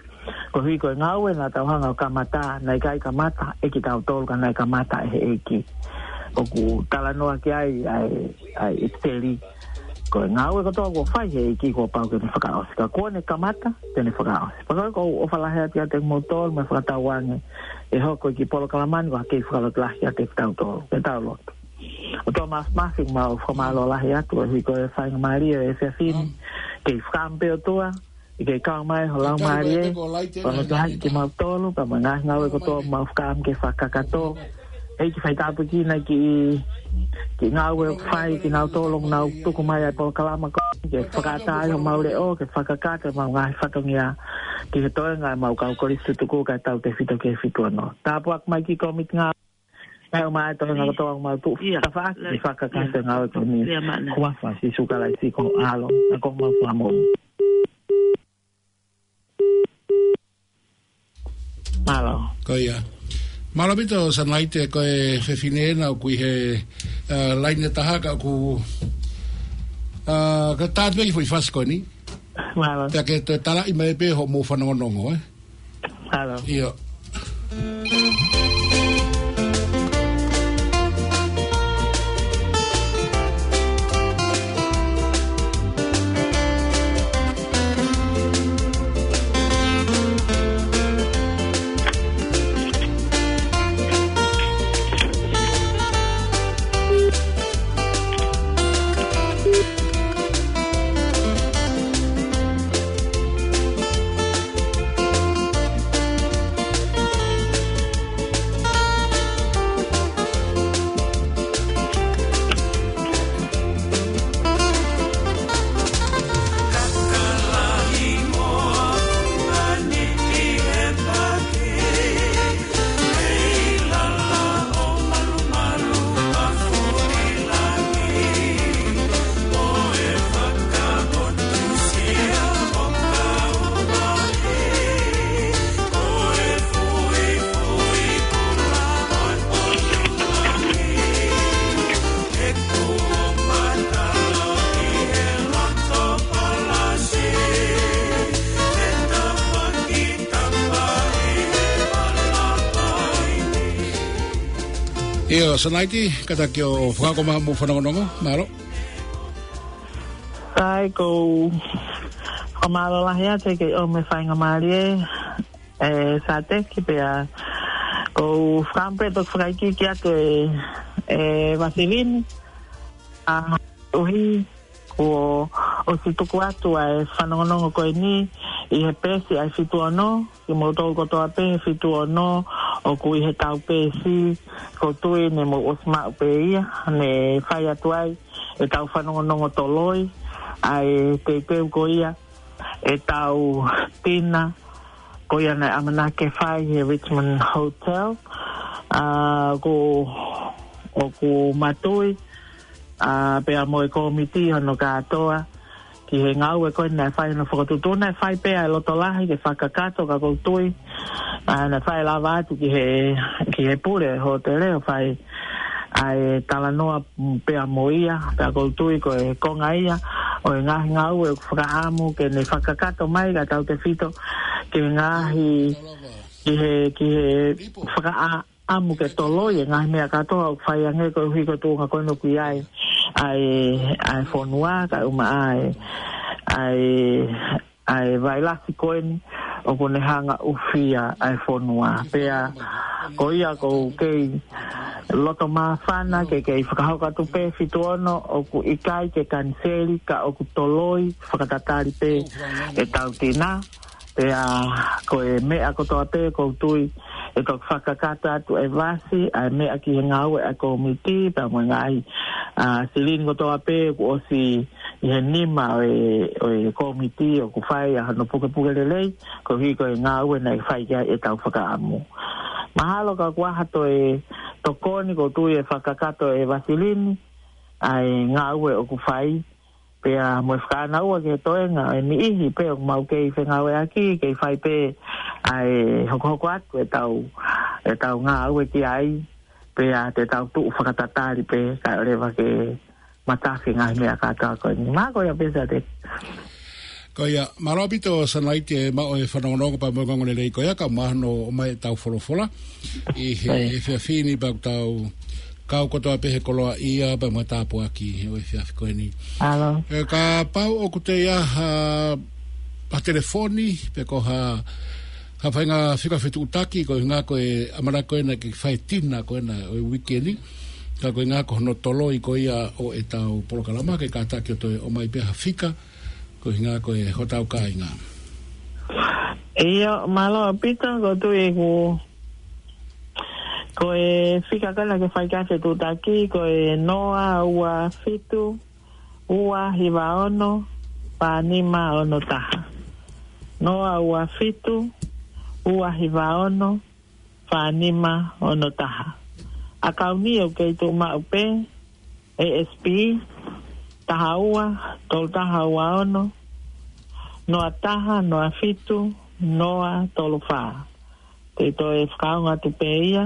Koeʻuhi ko e ngāue naʻa tau hanga ʻo kamata, naʻe ʻikai kamata ʻe kitautolu ka naʻe kamata ʻe he ʻEiki. ʻOku talanoa ki ai ʻa e, ʻa e ʻEsiteli. Ko e ngāue kotoa kuo fai he ʻEiki kuo pau ke ne fakaʻosi. Ka kuo ne kamata, te ne fakaʻosi. Pea ko e ʻoku ou ʻofa lahi atu kiate kimoutolu mo e fakatauange ʻe hoko e kiʻi polokalama ni ko ha kiʻi fakalotolahi kiate kitautolu. Ke tau lotu. ʻOtua Māfimafi, mau fakamālō lahi atu koeʻuhi ko e faingamālie ʻo e efiafi ni. Kei fakaʻamu pē ʻOtua, ʻi he kau mai ho Laumālie, ʻo ne tuhaʻi kimautolu, pea mo e ngaahi ngāue kotoa mau fakaʻamu ke fakakakato. ʻEiki fai tāpuekina e kiʻi, kiʻi ngāue ʻoku fai kinautolu ʻoku nau tuku mai ʻa e polokalama ko eni, ke fakaʻatā ai homau leʻo, ke fakakakato ʻemau ngaahi fatongia ki he toenga ʻemau kau Kolisi Tutuku kae tautefito ki he fitu ono. Tāpuaki mai ki he kōmiti ngāue. Kae ʻumaʻā e toenga kotoa ʻoku mau tuʻu tafaʻaki ke fakakakato e ngāue ko eni. Huafa ʻo Sīsū Kalaisi ko ho ʻAlo, ʻa ia ko homau Fakamoʻui. ʻIo. Mālō ʻaupito Sanaite, ko e fefine ena ʻoku ʻi he, ā, laine ʻe taha ka ʻoku, ā, ka tātu pē ki he foʻi fasi ko eni. Mālō. Pea ke toe talaʻi mai pē hoʻomou fanongonongo, ē? Mālō. ʻIo. ʻIo, Sanaite, kātaki ʻo fakahoko mai hoʻomou fanongonongo, mālō. ʻAi, ko u fakamālō lahi atu he kei ʻomai e faingamālie, ē, Sateki pea ko u fakaʻamu pē toki fakaikiiki atu e, e Vasilini, ā, ʻuhi, kuo ʻosi tuku atu ʻa e fanongonongo ko eni ʻi he peesi ʻa e fitu ono, kimoutolu kotoa pē he fitu ono ʻoku ʻi heʻetau peesi, ko u tui ne mou ʻosi maʻu pē ia, ne fai atu ai ʻetau fanongonongo toloi, ʻa e teuteu ko ia ʻetau tina, ko ia naʻe ʻamanaki ke fai he Richmond Hotel, ā, ko, ʻoku mātuʻaki, ā, pea mo e kōmiti hono kātoa, ki he ngāue ko ē naʻe fai hono fakatuʻutuʻu, naʻe fai pē ʻa e loto lahi ke fakakakato ka ko u tui, ā, naʻe fai lava atu ki he, ki he pule hōtele ʻo fai ʻa e talanoa pea mo ia, pea ko u tui ko e konga ia ʻo e ngaahi ngāue ʻoku fakaʻamu ke ne fakakakato mai kae tautefito ki he ngaahi, ki he, ki he fakaʻa-, ʻamu ke toloi e ngaahi meʻa kātoa ʻoku fai ange koeʻuhi ko e tuʻunga ko eni ʻoku ʻi ai ʻa e, ʻa e fonua, kae ʻumaʻā ʻa e, ʻa e, ʻa e vailasi ko eni ʻoku ne hanga ʻo ʻufia ʻa e fonua. Pea ko ia ko u kei loto māfana ke kei fakahoko atu pē fitu ono ʻoku ʻikai ke kaniseli ka ʻoku toloi fakatatali pē ʻetau tina. Pea ko e meʻa kotoa pē ko u tui ʻe toki fakakakato atu ʻe Vasi ʻa e meʻa ki he ngāue ʻa e kōmiti, pea mo e ngaahi, ā, silini kotoa pē kuo ʻosi ʻi he nima ʻo e, ʻo e kōmiti ʻoku fai ʻa hono pukepuke lelei, koeʻuhi ko e ngāue naʻe fai ki ai ʻetau fakaʻamu. Mahalo ka kuo ʻi ai ha toe tokoni ko u tui ʻe fakakakato ʻe Vasilini ʻa e ngāue ʻoku fai, pea mo e fakaʻānaua ki he toenga ʻo e niʻihi pē ʻoku mau kei fengāueʻaki, kei fai pē ʻa e hokohoko atu ʻetau, ʻetau ngāue ki ai, pea te tau tuʻu fakatatali pē, kae ʻoua leva ke matafi e ngaahi meʻa kātoa ko eni. Mahalo ko ia pē Sateki. Ko ia, mālō ʻaupito Sanaite maʻu e fanongonongo pea mo e ongoongolelei ko ia, kae ʻumaʻā hono ʻomai ʻetau folofola ʻi he, ʻio, efiafi ni pea ʻoku tau kau kotoa pē he koloaʻia pea mo e tāpuaki he ʻo e efiafi ko eni. Mālō. Ē, kapau ʻoku toe ʻi ai ha, ha telefoni, pe ko ha, ha faʻahinga fika fetuʻutaki, ko e ʻuhinga ko e ʻamanaki ko ena ke fai e tina ko ena ʻo e uike ni. Ka ko e ʻuhinga ko hono toloi ko ia ʻo ʻetau polokalama, ke kātaki ʻo toe ʻomai pē ha fika, ko e ʻuhinga ko e hotau kāinga. ʻIo, mālō ʻaupito, ko u tui ʻoku, ko e fika ko ena ke fai ki ai e fetuʻutaki, ko e noa ua fitu, ua hiva ono, fā nima ono taha. Noa ua fitu, ua hiva ono, fā nima ono taha. ʻAkauni ʻoku kei tuʻu maʻu pē, ASB, taha ua, tolu taha ua ono, noa taha, noa fitu, noa tolu fā. ʻE toe fakaongo atu pē ia.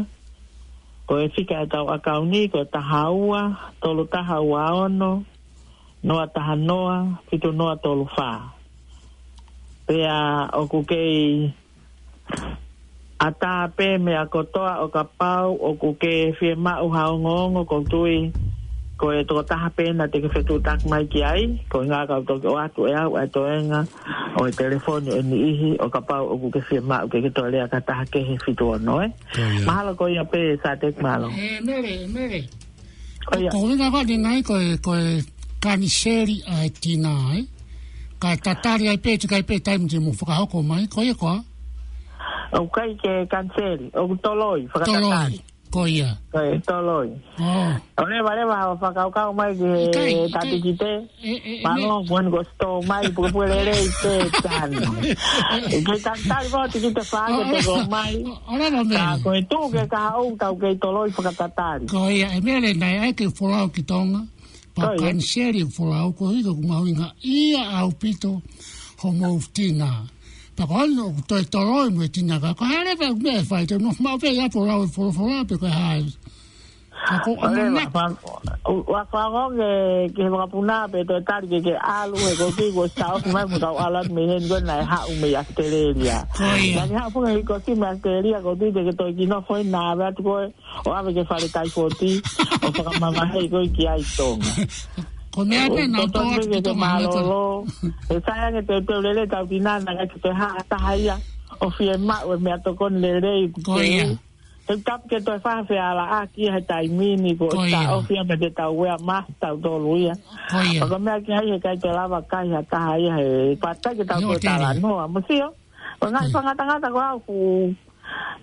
Ko e fika ʻetau ʻakauni, ko e taha ua, tolu taha ua ono, noa taha noa, fitu noa tolu fā. Pea ʻoku kei ʻatā pē meʻa kotoa ʻo kapau ʻoku ke fiemaʻu ha ongoongo, ʻoku ou tui ko e tokotaha pē naʻa te ke fetuʻutaki mai ki ai, ko e ʻuhinga ka u toki ʻoatu ʻe au ʻa e toenga ʻo e telefoni ʻe niʻihi ʻo kapau ʻoku ke fiemaʻu ke ke toe lea ki ha taha kehe fitu ono, ē? Ko ia. Mahalo ko ia pē, Satek, mālō. ʻE, Mele, Mele. Ko ia. Ko e ʻuhinga ko eni nai ko e, ko e kaniseli ʻa e tina, ē? Ka tatali ai pē, tika ai pē taimi te mo fakahoko mai, ko ia koā? ʻOku ʻikai ke kaniseli, ʻoku toloi, fakatatali. Toloi, ko ia. Ko e toloi. ʻŌ. ʻOleva leva ʻo fakakaukau mai ki he tatikite. ʻIkai, ʻikai. ʻE, ʻe, ʻe, Mālō, kuo ne ko sitō mai, puke puke lelei te tano. ʻE, ke tatali mo tikite fake te ko mai. ʻŌ, ʻōleva Mele. Ka ko e tuʻu ke kahaʻu tau kei toloi fakatatali. Ko ia, ʻe Mele nai, ʻai ke folau ki Tonga. Pea kaniseli e folau, ko e ʻuhinga ʻoku mahuʻinga ia ʻaupito homou tina. Pea ko hono ʻoku toe toloi mo e tina ka, ko e hā leva e meʻa ʻe fai, te u nofo maʻu pē ia folau e folofola pe ko e hā. Ka ko e ʻamanaki. ʻOleva, fa-, ʻo, ʻo fakaongo ke, ke he vakapuna pē toe tali ke ke ʻalu he ko ki ko sa ofi mai mo kau ʻalu atu mei heni ko naʻe haʻu mei ʻAositelēlia. Ko ia. Naʻa ke haʻu pē he ko si mei ʻAositelēlia ko ki te ke toe ki nofo heni naʻa ʻave atu koe ʻo ʻave ki he fale taifoti, ʻo fakamavaheʻi koe ki ai Tonga. Ko e meʻa pē naʻa ku totonu tō atu ki Tonga mālōlō. He sai ange teuteu lelei tau tina naʻa ke toe haʻa taha ia ʻo fiemaʻu e meʻatokoni lelei. Ko ia. He tapu ke toe fai ha fealaʻaki he taimi ni ko e taʻofi ia pea te tau ʻea mai tautolu ia. Ko ia. Ko e meʻa ki ai he ʻikai toe lava kai ha taha ia he pātai ke tau toe talanoa. Mo sio. Ko e ngaahi fakangatangata ko au ku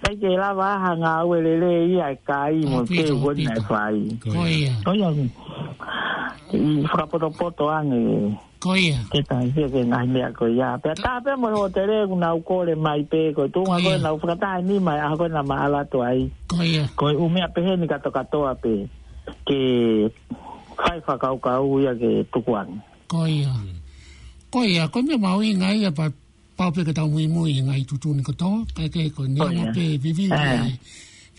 ʻikai ke lava ha ngāue lelei ia ʻe kai mo ke ʻaupito, ʻaupito. Ko ia. Ko ia. ʻI fakapotopoto ange. Ko ia. Ke tai ke ke ngaahi meʻa ko ia. Pea tā pē mo e hōtele ʻoku nau kole mai pē ko e tuʻunga ko ia. Nau fakataha ni mai ʻaho ko ē naʻa ma ʻalu atu ai. Ko ia. Ko e ʻū meʻa pehē ni katoa katoa pē. Ke fai fakakaukau ia ke tukuange. Ko ia. Ko ia, ko e meʻa mahuʻinga ia pea pau pē ke tau muimui he ngaahi tuʻutuʻuni kotoa, kae kehe ko e neongo pē vivili ʻa e,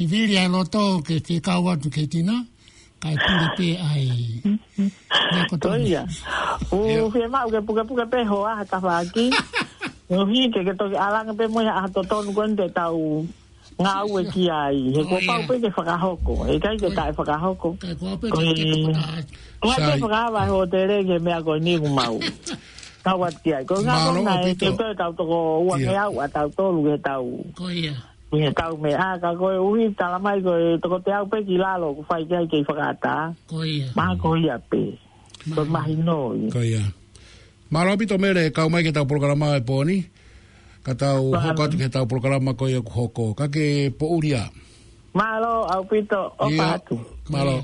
vivili ʻa e loto ke fekau atu ki he tina, kae pule pē ʻa e meʻa kotoa. Ko ia. ʻOku fiemaʻu ke pukepuke pē hoa ha tafaʻaki. ʻOku hiki ke toki ʻalu ange pē mo ia ʻa e totonu ko eni te tau ngāue ki ai. He kuo pau pē ke fakahoko. ʻE ʻikai ke taʻe fakahoko. Ko e, ko e fakahava e hōtele ki he meʻa ko eni ʻoku mau. Tau atu ki ai. Ko e ngā kona e te tau toko ua ke au ʻa tautolu ke tau. Ko ia. Ke tau meʻa ka ko e ʻuhi tala mai ko e toko teau pē ki lalo ʻoku fai ki ai kei fakaʻatā. Ko ia. Mahalo ko ia pē. Ko e mahino ia. Ko ia. Mālō ʻaupito Mele, kau mai ki heʻetau polokalama he pō ni. Ka tau hoko atu ki heʻetau polokalama ko ia ʻoku hoko. Ka ke poʻuli ā. Mālō ʻaupito, ʻofa atu. Mālō.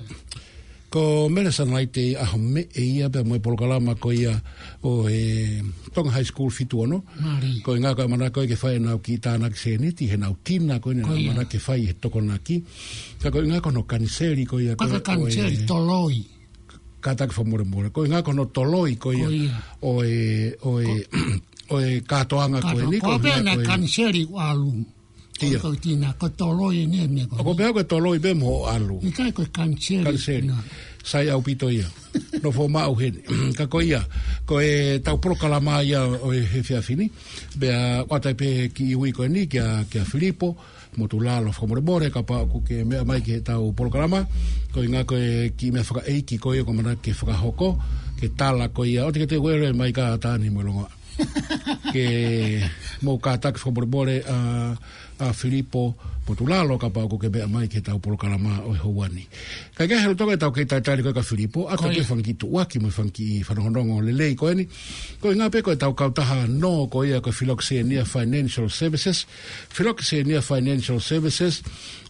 Ko Mele Sanalaite ʻi he ʻaho meʻe ia pea mo e polokalama ko ia ʻo e Tonga High School fitu ono. Ko e ʻuhinga ko e ʻamanaki ko ē ke fai ʻenau kiʻi tānaki sēniti, he ʻenau tina ko eni ʻenau ʻamanaki ke fai he Tokonaki. Ka ko e ʻuhinga ko hono kaniseli ko ia ko e kaniseli toloi. Kātaki fakamolemole. Ko e ʻuhinga ko hono toloi ko ia ʻo e, ʻo e, ʻo e kātoanga ko eni ko e ʻuhinga ko e kaniseli ʻalu. Ia. Ko e tina, ko e toloi eni ʻa e meʻa ko ē. Ko e pehē ko e toloi pē mo ʻalu. ʻIkai ko e kaniseli. Kaniseli. Sai ʻaupito ia. Nofo maʻu heni. Ka ko ia, ko ʻetau polokalama ia ʻo e efiafi ni. Pea ʻoatu ai pē kiʻi ui ko eni kia, kia Filipo Motulalo fakamolemole kapau ʻoku ke meʻa mai ki heʻetau polokalama. Ko e ʻuhinga ko e kiʻi meʻa fakaʻeiki ko ia ʻoku ʻamanaki ke fakahoko. Ke tala ko ia. ʻOua te ke toe uele mai ka tāni mo e longoaʻa. Ke mou kātaki fakamolemole ʻa, ʻa Filipo Motulalo kapau ʻoku ke meʻa mai ki heʻetau polokalama ʻo e houa ni. Kae kehe he lolotonga ʻetau kei talitali ko ē kia Filipo, ʻoatu pē fanga kiʻi tuʻuaki mo e fanga kiʻi fanongonongo lelei ko eni. Ko e ʻuhinga pē ko ʻetau kautaha nō ko ia ko e Philoxenia Financial Services. Philoxenia Financial Services,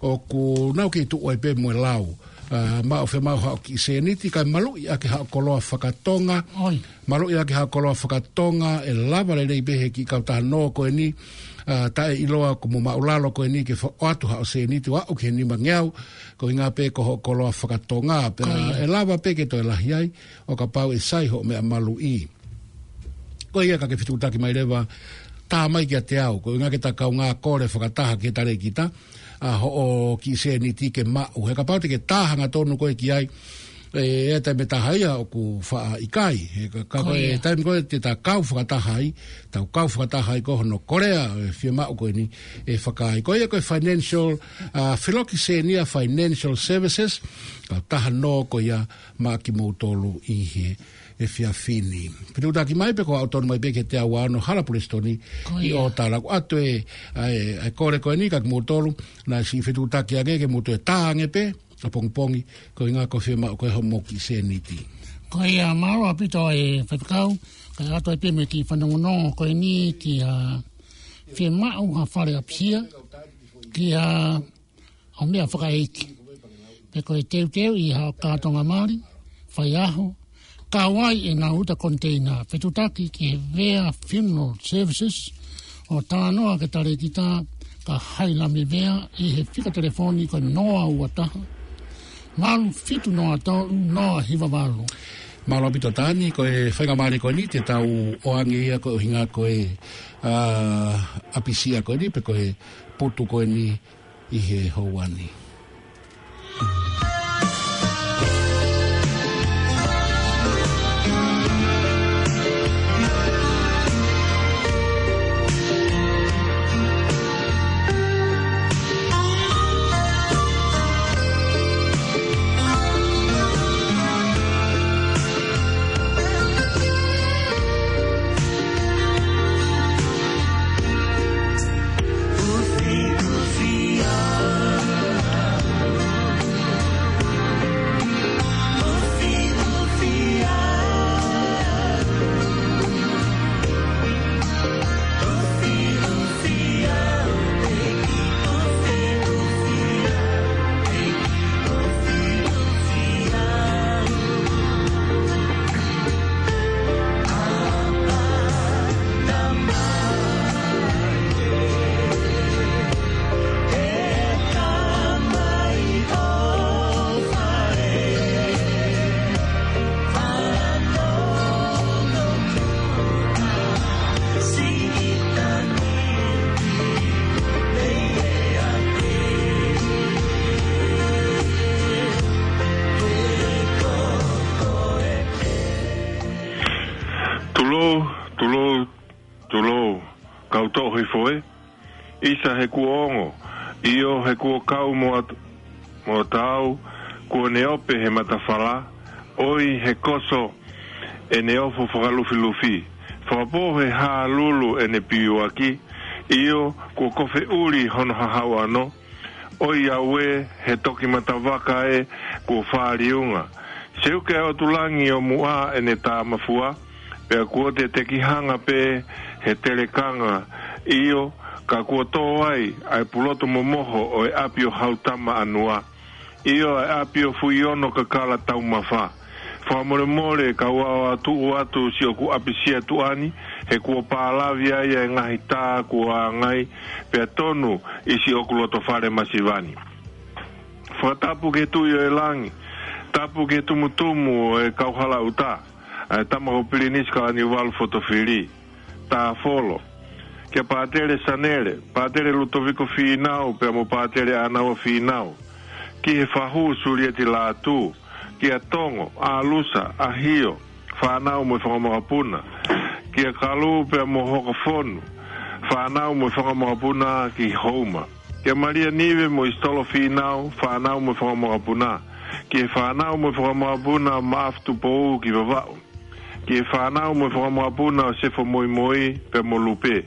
ʻoku nau kei tuʻu ai pē mo e lau. ʻA, maʻu fiemaʻu haʻo kiʻi sēniti, kae maluʻi ʻaki haʻo koloa fakatonga. Maluʻi ʻaki haʻo koloa fakatonga, ʻe lava lelei pē he kiʻi kautaha nō ko eni, ʻa, taʻeʻiloa ko mo maʻulalo ko eni ke fa-, ʻoatu haʻo sēniti, ʻo aʻu ki he nimangeau, ko e ʻuhinga pē ko hoʻo koloa fakatonga, pea ʻe lava pē ke toe lahi ai, ʻo kapau ʻe sai hoʻo meʻa maluʻi. Ko ia ka ke fetuʻutaki mai leva, tā mai kiate au, ko e ʻuhinga ke ta kaungā kole fakataha ki he talēkita, ʻa hoʻo kiʻi sēniti ke maʻu. He kapau te ke tā hangatonu koe ki ai, ʻe, ʻe taimi ʻe taha ia ʻoku faʻa ʻikai. He ka, ka Ko ko e ia. taimi ko ē te ta kau fakataha ai, tau kau fakataha ai ko hono kolea, ʻe fiemaʻu ko eni, ʻe fakaai. Ko ia ko e financial, ʻa, Filokisenia Financial Services, kautaha nō ko ia maʻa kimoutolu ʻi he efiafi ni. Fetuʻutaki mai pē ko e ʻalu tonu mai pē ki he teau ua ono Hala Pulesitoni Ko ʻi ia. ʻOtala. ʻOatu e, ʻa e, ʻa e kole ko eni kiate kimoutolu, naʻa siʻi fetuʻutaki ange ke mou toe tā ange pē, ʻapongipongi, ko e ʻuhinga ko e fiemaʻu ko ē hoʻomou kiʻi sēniti. Ko ia, mālō ʻaupito e faifekau, kae ʻoatu ai pē mo e kiʻi fanongonongo ko eni ki ha fiemaʻu ha fale ʻapisia, ki ha ʻo meʻa fakaʻeiki. Pe ko e teuteu ʻi ha kātoanga mali, faiʻaho, kau ai ʻenau uta koniteina, fetuʻutaki ki he Vea Funeral Services, ʻo talanoa ki he talēkita Kahailame Vea ʻi he fika telefoni ko e noa ua taha, valu fitu noa tolu, noa hiva valu. Mālō ʻaupito Tani, ko e faingamālie ko eni te tau ʻoange ia ko e ʻuhinga ko e, ʻa, ʻapisia ko eni, pe ko e putu ko eni ʻi he houa ni. Tulou, tulou, tulou, kau toʻo hifo ē. ʻIsa he kuo ongo, ʻio he kuo kau mo at-, mo taau, kuo ne ope he matafala, ʻoi he koso ʻene ofo fakalufilufi, fakapō he hālulu ʻene piuaki, ʻio kuo kofe ʻuli hono hahau ʻano, ʻoi au ē, he toki matavaka ē, kuo fāliunga. Seuke ʻa e ʻotu langi ʻo muʻa ʻene tāmafua, pea kuo te tekihanga pē he telekanga, ʻio, ka kuo tō ai ʻa e pulotu momoho ʻo e ʻapi ʻo Hautama ʻAnua, ʻio, ʻa e ʻapi ʻo Fuiono Kakala Taumafa. Fakamolemole kau ʻaoʻao tuʻu atu siʻoku ʻapisia tuʻa ni, he kuo pālavi ai ʻa e ngaahi tā kuo ʻāngai, pea tonu ʻi siʻoku loto fale masiva ni. Fakatapu ki he Tuʻi ʻo e langi, tapu ki he tumutumu ʻo e kauhala ʻuta, ʻa e tama ko Pilinisi Kalaniuvalu Fotofili, Tāfolo, kia Pātele Sanele, Pātele Lutoviko Fīnau, pea mo Pātele ʻAnaua Fīnau, ki he fahu Sulieti Lātū, kia Tongo, ʻAlusa, ʻAhio, fānau mo e fanga mokopuna, kia Kalu pea mo Hokofonu, fānau mo e fanga mokopuna ki Houma, kia Malia Nive mo ʻIsitolo Fīnau, fānau mo e fanga mokopuna, ki he fānau mo e fanga mokopuna Maʻafu Tupou ki Vavaʻu, ki he fānau mo e fanga mokopuna ʻo Sefo Moimoi pea mo Lupe,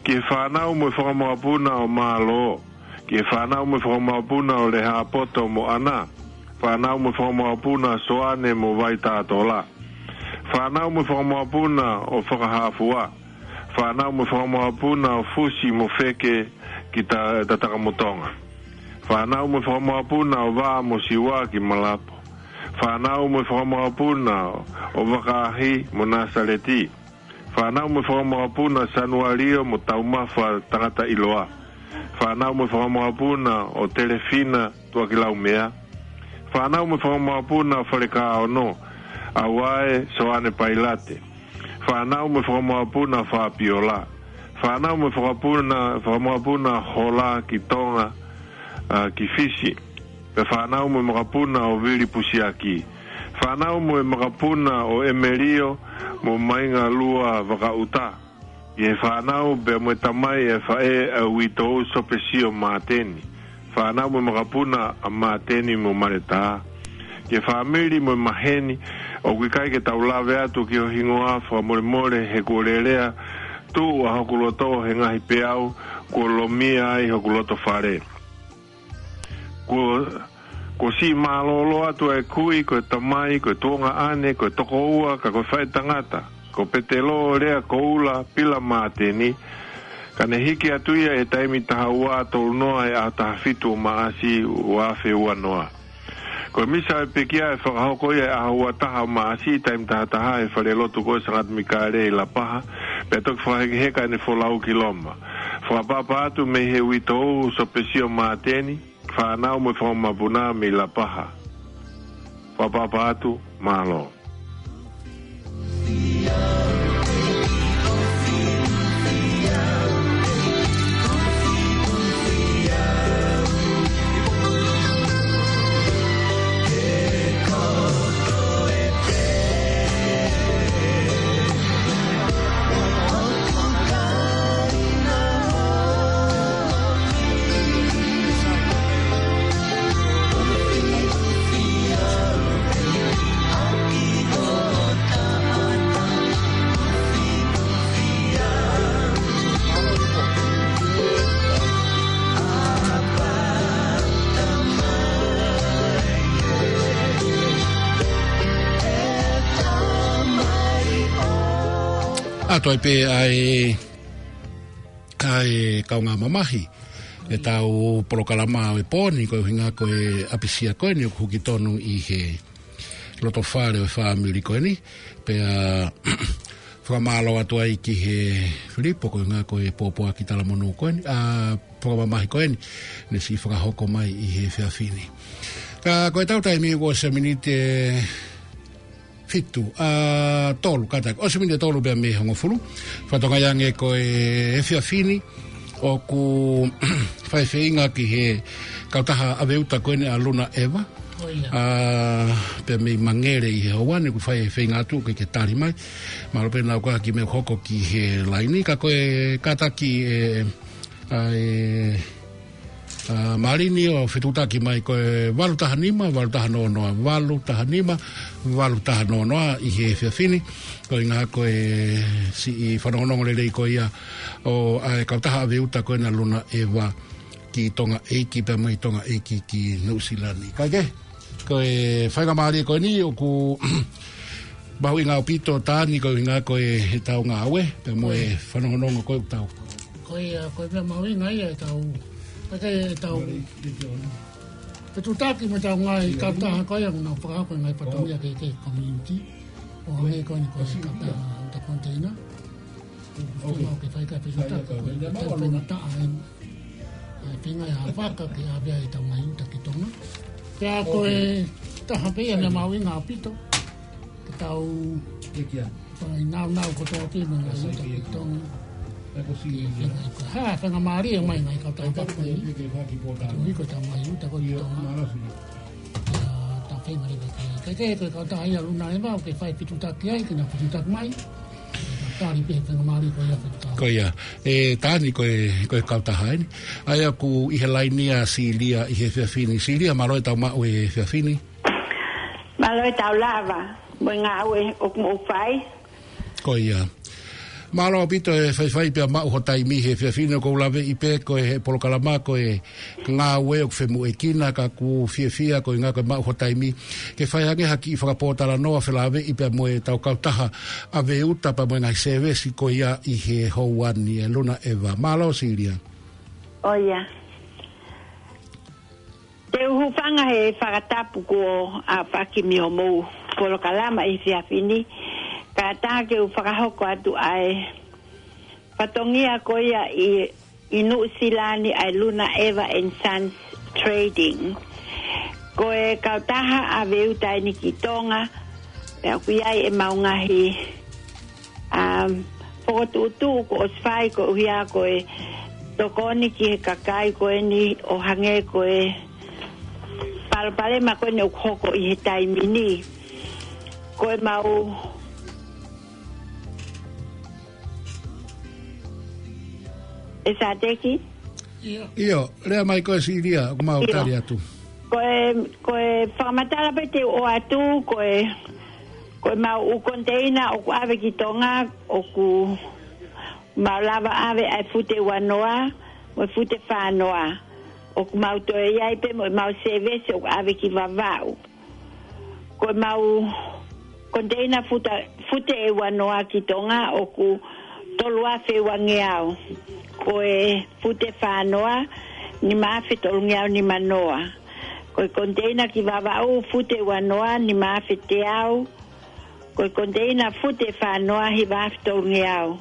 ki he fānau mo e fanga mokopuna ʻo Mālō, ki he fānau mo e fanga mokopuna ʻo Lehāpoto mo ʻAna, fānau mo e fanga mokopuna ʻo Soane mo Vaitātola, fānau mo e fanga mokopuna ʻo Fakahāfua, fānau mo e fanga mokopuna ʻo Fusi mo Feke ki Ta-, Tatakamotonga, fānau mo e fanga mokopuna ʻo Vā mo Siua ki Malapo, fānau mo e fanga mokopuna ʻo Vakaahi mo Nāsaleti, fānau mo e fanga mokopuna ʻo Sanualio mo Taumafa Tangata ʻIloa, fānau mo e fanga mokopuna ʻo Telefina Tuʻakilaumea, fānau mo e fanga mokopuna ʻo Falekaono, ʻAuae Soane Pailate, fānau mo e fanga mokopuna ʻo Fapiola, Fānau mo e fakapuna, fakamokapuna Hola ki Tonga, ʻa, ki Fisi. Pea fānau mo e makapuna ʻo Vili Pusiaki. Fānau mo e makapuna ʻo ʻEmelio mo Maingalua Vakaʻuta. ʻI he fānau pea mo e tamai ʻa e faʻē ʻa Uitou Sopesio Māteni. Fānau mo e makapuna ʻa Māteni mo Maletā. Ki he fāmili mo e maheni, ʻoku ʻikai ke tau lave atu ki ho hingoa, fakamolemole he kuo lelea tuʻu ʻa hoku loto he ngaahi peau, kuo lomia ai hoku loto fale. Kuo, kuo siʻi mālōlō atu ʻa e kui, ko e tamai, ko e tuongaʻane, ko e tokoua, ka ko e faʻētangata. Ko Petelo Lea Koula Pila Māteni, ka ne hiki atu ia he taimi taha ua tolu noa he ʻaho taha fitu ʻo Maʻasi ua afe ua noa. Ko e misa ʻo e pekia ʻe fakahoko ia he ʻaho ua taha ʻo Maʻasi, taimi taha taha he falelotu ko ē ʻo Sangata Mikaele ʻi Lapaha, pea toki fakahekeheka ʻene folau ki Loma. Fakaʻapaʻapa atu mei he Uitou Sopesio Māteni, fānau mo e fanga mokopuna mei Lapaha. Fakaʻapaʻapa atu, mālō. ʻA toe pē ʻa e, ʻa e kaungā mamahi ʻetau polokalama ʻo e pō ni, ko e ʻuhinga ko e ʻapisia ko eni ʻoku huki tonu ʻi he loto fale ʻo e fāmili ko eni. Pea fakamālō atu ai ki he Filipo, ko e ʻuhinga ko e pōpoaki talamonū ko eni, ʻa, fakamamahi ko eni, ne siʻi fakahoko mai ʻi he efiafi ni. Ka ko ʻetau taimi kuo ʻosi e miniti ʻe fitu, ʻa, tolu, kātaki. ʻOsi e miniti ʻe tolu pea mei he hongofulu. Fatongia ange ko e efiafi ni, ʻoku fai e feinga ki he kautaha ʻave uta ko eni ʻa Luna ʻEva. ʻO ia. ʻA, pea mei Mangere ʻi he houa ni ʻoku fai e feinga atu ke, ke tali mai. Mālō pē naʻa ku ʻai ke mou hoko ki he laini, ka ko e kātaki ʻe, ʻa e, ʻa, Malini ʻo fetuʻutaki mai ko e valu taha nima, valu taha noa noa, valu taha nima, valu taha noa noa ʻi he efiafi ni. Ko e ʻuhinga ko e siʻi fanongonongo lelei ko ia ʻo, ʻa e kautaha ʻave uta ko ena Luna ʻEva ki Tonga ʻEiki pea mei Tonga ʻEiki ki Nuʻusila ni. Kae kehe, ko e faingamālie ko eni ʻoku mahuʻinga ʻaupito Tani, ko e ʻuhinga ko e, ʻetau ngāue pea mo e fanongonongo ko ē ʻoku tau. Ko ia, ko e meʻa mahuʻinga ia ʻetau, ko e ʻetau fetuʻutaki mo ʻetau ngaahi kautaha ko ia ʻoku nau fakahoko e ngaahi fatongia ki he, ki he community. ʻO hangē ko eni ko e kautaha uta container. ʻOku ke fai ka fetuʻutaki ko e, ko e tau faingataʻa eni. ʻA e feinga ʻa Vaka ke ʻave ai ʻetau ngaahi uta ki Tonga. Pea ko e taha pē ia meʻa mahuʻinga ʻaupito ke tau fai nāunau kotoa pē mo e ngaahi uta ki Tonga. Ke feinga ko e hā, faingamālie mai ngaahi kautaha pē ko eni. Ke tau hiko ʻetau ngaahi uta ko ē ki Tonga. Ia, tau feinga leva ke, ke, ke, ko e kautaha ia Luna ʻEva, ʻoku ke fai fetuʻutaki ai, ke nau fetuʻutaki mai. Tali pē faingamālie ko ia fetuʻutaki. Ko ia. ʻE Tani, ko e, ko e kautaha eni. ʻA ia ʻoku ʻi he laini ʻa Silia ʻi he efiafi ni. Silia, mālō e tau maʻu e efiafi ni. Mālō e tau lava mo e ngāue ʻoku mou fai. Ko ia. Mālō ʻaupito e faifai pea maʻu ho taimi he efiafi ni. ʻOku ou laveʻi pē ko e he polokalama ko e ngāue ʻoku femoʻuekina, ka ʻoku fiefia ko e ʻuhinga ko e maʻu ho taimi ke fai ange ha kiʻi fakapōtalanoa felāveʻi pea mo ʻetau kautaha ʻave uta pea mo e ngaahi sēvesi ko ia ʻi he houa ni, ʻe Luna ʻEva. Mālō Silia. ʻO ia. Te u hūfanga he fakatapu kuo ʻafaki mei hoʻomou polokalama ʻi he efiafi ni, kae ʻatā ke u fakahoko atu ʻa e fatongia ko ia ʻi, ʻi Nuʻusila ni ʻa e Luna ʻEva and Sons Trading. Ko e kautaha ʻave uta eni ki Tonga, pea ʻoku ʻi ai ʻemau ngaahi, um, Fokotuʻutuʻu kuo ʻosi fai koeʻuhi ko e tokoni ki he kakai ko eni ʻo hangē ko e palopalema ko eni ʻoku hoko ʻi he taimi ni. Ko e mau e Sateki? ʻIo, lea mai ko e Silia, ʻoku mau ʻIo. tali atu. Ko e, ko e fakamatala pē te u ʻoatu, ko e, ko e mau ʻū konteina ʻoku ʻave ki Tonga, ʻoku mau lava ʻave ʻa e fute uanoa, mo e fute fānoa. ʻOku mau toe ʻi ai pē mo e mau sēvesi ʻoku ʻave ki Vavaʻu. Ko e mau konteina futa, fute ʻe uanoa ki Tonga ʻoku tolu afe uangeau. Ko e fute fānoa, nima afe tolungeau nimanoa. Ko e konteina ki Vavaʻu, fute uanoa, nima afe teau. Ko e konteina fute fānoa, hiva afe tolungeau.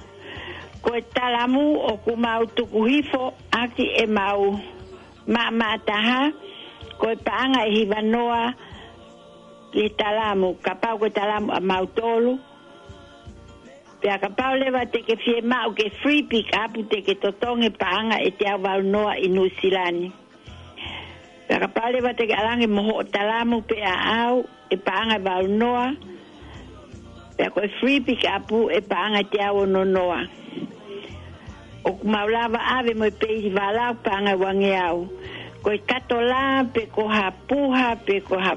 Ko e talamu ʻoku mau tuku hifo ʻaki ʻemau maʻamaʻa taha, ko e paʻanga ʻe hivanoa ki he talamu, kapau ko e talamu ʻa mautolu. Pea kapau leva te ke fiemaʻu ke free pick up, te ke totongi paʻanga ʻe teau valunoa ʻi Nuʻusila ni. Pea kapau leva te ke ʻalu ange mo hoʻo talamu pe ʻaʻau, ʻe paʻanga ʻe valunoa. Pea ko e free pick up ʻe paʻanga ʻe teau ononoa. ʻOku mau lava ʻave mo e peili vala ʻoku paʻanga ʻe uangeau. Ko e katola, pe ko ha puha, pe ko ha,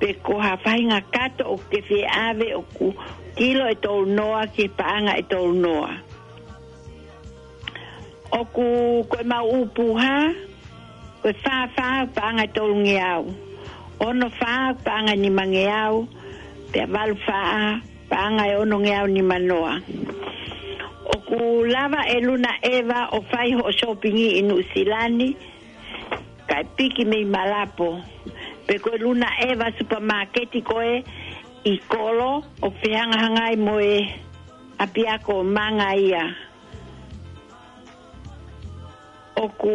pe ko ha faʻahinga kato ʻoku ke fie ʻave ʻoku kilo ʻe tolunoa ki he paʻanga ʻe tolunoa. ʻOku, ko e mau ʻū puha, ko e fā fā paʻanga ʻe tolungeau. Ono fā paʻanga ʻe nimangeau, pea valu fā paʻanga ʻe onongeau nimanoa. ʻOku lava ʻe Luna ʻEva ʻo fai hoʻo sōpingi ʻi Nuʻusila ni, kae piki mei Malapo. Pe ko e Luna ʻEva supamaketi ko ē ʻi Kolo, ʻoku fehangahangai mo e ʻapiako Manga ia. ʻOku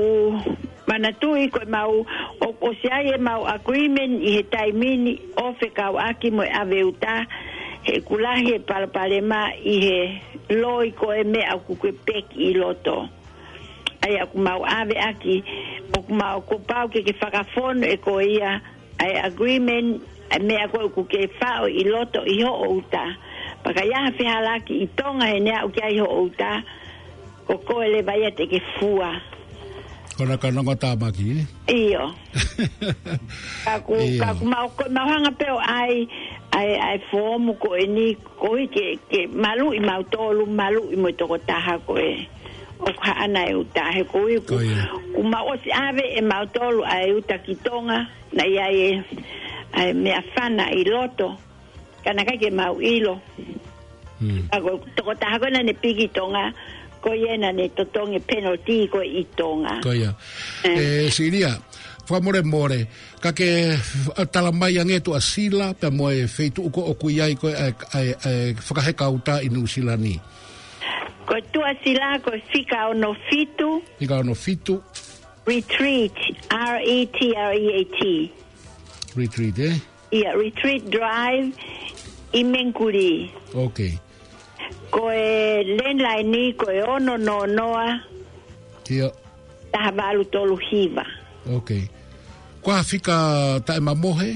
manatuʻi ko e mau, ʻoku ʻosi ʻi ai ʻemau agreement ʻi he taimi ni ʻo fekauʻaki mo e ʻave uta, he ʻoku lahi e palopalema ʻi he loi ko e meʻa ʻoku ke peki ʻi loto. ʻA ia ʻoku mau ʻave ʻaki, ʻoku mau kuo pau ke ke fakafonu ʻe koe ia, ʻa e agreement, ʻa e meʻa ko ē ʻoku ke faʻo ʻi loto ʻi hoʻo uta. Pea ka ʻi ai ha fehālaaki ʻi Tonga heʻene aʻu ki ai hoʻo uta, ko koe leva ia te ke fua. Ko ena ka nongo tāmaki, ē? ʻIo. Ka ʻoku, ʻIo. ka ʻoku mau, ko e mau hanga pē ʻo ʻai, ʻai, ʻai foomu ko eni, koeʻuhi ke, ke maluʻi mautolu, maluʻi mo e tokotaha ko ē ʻoku haʻana e uta, he koeʻuhi ʻoku, Ko ia. ʻoku mau ʻosi ʻave ʻe mautolu ʻa e uta ki Tonga, naʻe ʻi ai e, ʻa e meʻafana ʻi loto, ka naʻe ʻikai ke mau ʻilo. Hmm. Ka ko e tokotaha ko ē naʻa ne piki ʻi Tonga, ko ia naʻa ne totongi penalty ko ē ʻi Tonga. Ko ia. Eh. ʻE, Silia, fakamolemole, ka ke, ʻa, tala mai ange Tuʻasila, pea mo e feituʻu ko ē ʻoku ʻi ai ko ē ʻa e, ʻa e, ʻa e fakaheka uta ʻi Nuʻusila ni. Ko Tuʻasila, ko e fika ono fitu. Fika ono fitu. Retreat, R E T R E A T. Retreat, ē? ʻIa, Retreat Drive ʻi Mengkuli. Ok. Ko e landline ni, ko e ono noa noa, ʻIo. taha valu tolu hiva. Ok. Ko e hā e fika taʻemamohe?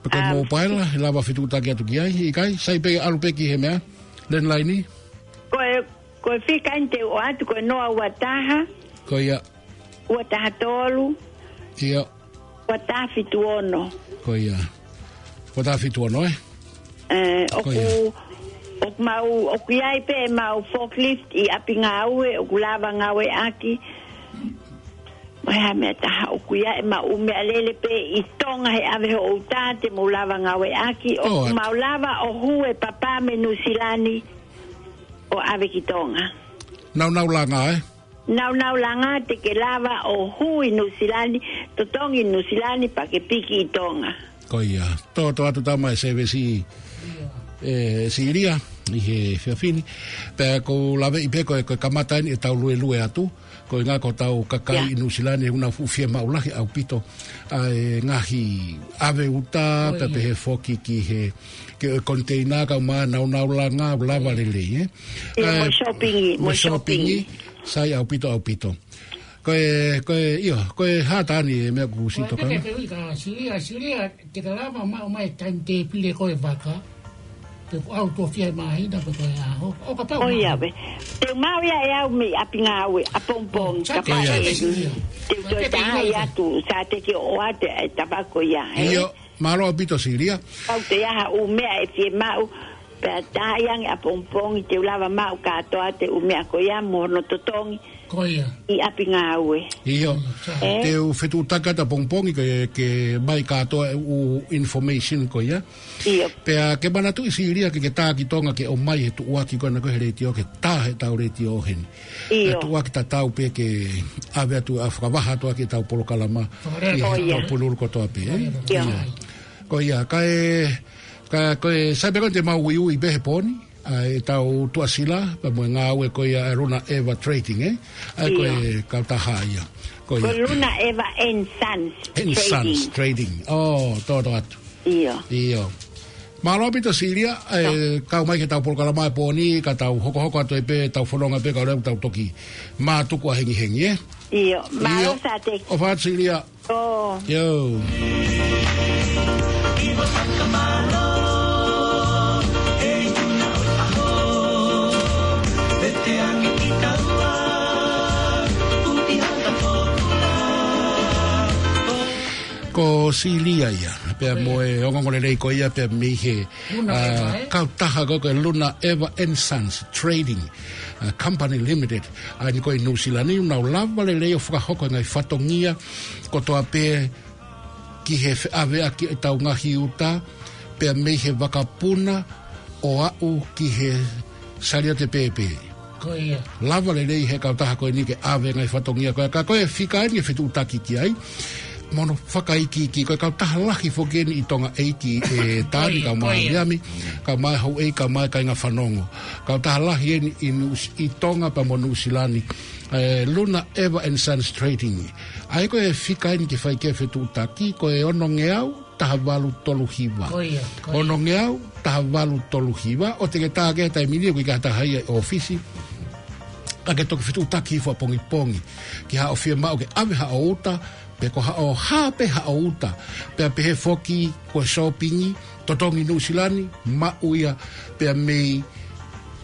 Pe ko e Um, mobile, he lava fetuʻutaki atu ki ai, ʻikai? Sai pē ʻalu pē ki he meʻa, landline ni? Ko e, ko e fika eni te u ʻoatu, ko e noa ua taha. Ko ia. Ua taha tolu. ʻIo. Ua taha fitu ono. Ko ia. Ua taha fitu ono, ē? ʻE, Ko ʻoku, ia. ʻoku mau, ʻoku ʻi ai pē ʻemau forklift ʻi ʻapi ngāue, ʻoku lava ngāueʻaki. Mo e hā e meʻa ʻe taha, ʻoku ʻi ai ʻemau meʻalele pē ʻi Tonga he ʻave hoʻo uta te mou lava ngāueʻaki. ʻOku ʻOatu. mau lava ʻo hū e papa mei Nuʻusila ni ʻo ʻave ki Tonga. Naunau langa, ē? Naunau langa te ke lava ʻo hū ʻi Nuʻusila ni, totongi ʻi Nuʻusila ni pea ke piki ʻi Tonga. Ko ia, tō, tō atu tama e sēvesi, ʻe, Silia, ʻi he efiafi ni. Pea ʻoku ou laveʻi pē ko e, ko e kamata eni ʻetau luelue atu, Ko e ʻuhinga ko hotau kakai ʻi Nuʻusila ni ʻoku nau fuʻu fiemaʻu lahi ʻaupito ʻa e ngaahi ʻave uta, pea pehē foki ki he, ki he koniteina kae ʻumaʻā ʻenau langa, lava lelei, ē? ʻIo, mo e shopping, mo e shopping. Sai ʻaupito, ʻaupito. Ko e, ko e, ʻio, ko e hā tā ni e meʻa kuo ʻosi tokanga? Ko e meʻa ke ui ka Silia, Silia, te ke lava maʻu mai timetable ko e vaka. Pe ko au tuʻo fiha māhina pe ko e ʻaho. ʻO kapau ʻoku maʻu. Te u maʻu ia ʻe au mei ʻapi ngāue, ʻapongipongi, kapau ʻe ui. Te u toe taha ia atu, sa te ke ʻoatu e tapa ko ia, ē? ʻIo, mālō ʻaupito Silia. Kau te aha ʻū meʻa ʻe fiemaʻu, pea taha ia ange ʻapongipongi, te u lava maʻu kātoa ʻa e ʻū meʻa ko ia, mo hono totongi. Ko ia. ʻI ʻapi ngāue. ʻIo. Te u fetuʻutaki atu ʻapongipongi ke, ke ʻomai kātoa e ʻū information ko ia. ʻIo. Pea ke manatuʻi Silia ke ke tā ki Tonga ke ʻomai he tuʻuaki ko ena ko e he letiō ke tā he tau letiō heni. ʻIo. He tuʻuaki tatau pē ke ʻave atu ʻa e fakavaha atu ʻa e tau polokalama. Fakalele. ʻI he tau Pululu kotoa pē, ē? ʻIo. Ko ia, kae, kae, ko e sai pē ko eni te mau uiui pē he pō ni. ʻA e tau tuʻasila, pea mo e ngāue ko ia ʻa e Luna Eva Trading, ē? ʻA e ko e kautaha ia. Ko ia. Ko Luna Eva and Sons Trading. And Sons Trading. ʻO, tō tō atu. ʻIo. ʻIo. Mālō ʻaupito Silia, ʻa e kau mai ki he tau polokalama he pō ni, ka tau hokohoko atu ai pē, tau fononga pē, ka leo tau toki mātuku ʻa hengihengi, ē? ʻIo. Mālō Sate. ʻOfa atu Silia. ʻIo. Ko Silia ia, pea mo e ongoongolelei ko ia, pea mei he, ʻa, kautaha ko e Luna Eva and Sons Trading, ʻa, Company Limited, ʻa eni ko ē ʻi Nuʻusila ni, ʻoku nau lava lelei ʻo fakahoko e ngaahi fatongia kotoa pē ki he feʻaveʻaki e tau ngaahi uta, pea mei he vakapuna ʻo aʻu ki he sāliate pēpē. Ko ia. Lava lelei he kautaha ko eni ke ʻave ngaahi fatongia ko ia, ka ko e fika eni ke fetuʻutaki ki ai. Mo hono fakaikiiki, ko e kautaha lahi foki eni ʻi Tonga ʻeiki ʻe Tani, kae ʻumaʻā Miami, kae ʻumaʻā houʻeiki, kae ʻumaʻā e kāinga fanongo. Kautaha lahi eni ʻi Nuʻu-, ʻi Tonga pea mo Nuʻusila ni. ʻE Luna Eva and Sons Trading. ʻA ia ko e fika eni ke fai ki ai e fetuʻutaki, ko e onongeau taha valu tolu hiva. Ko ia, ko ia. Onongeau taha valu tolu hiva, ʻoua te ke tā ki he taimi ni ʻoku ʻikai ha taha ia ʻi ʻōfisi. Ka ke toki fetuʻutaki hifo ʻapongipongi. Ki haʻo fiemaʻu ke ʻave haʻo uta, pe ko haʻo hā pē haʻo uta. Pea pehē foki ko e shopping, totongi Nuʻusila ni, maʻu ia pea mei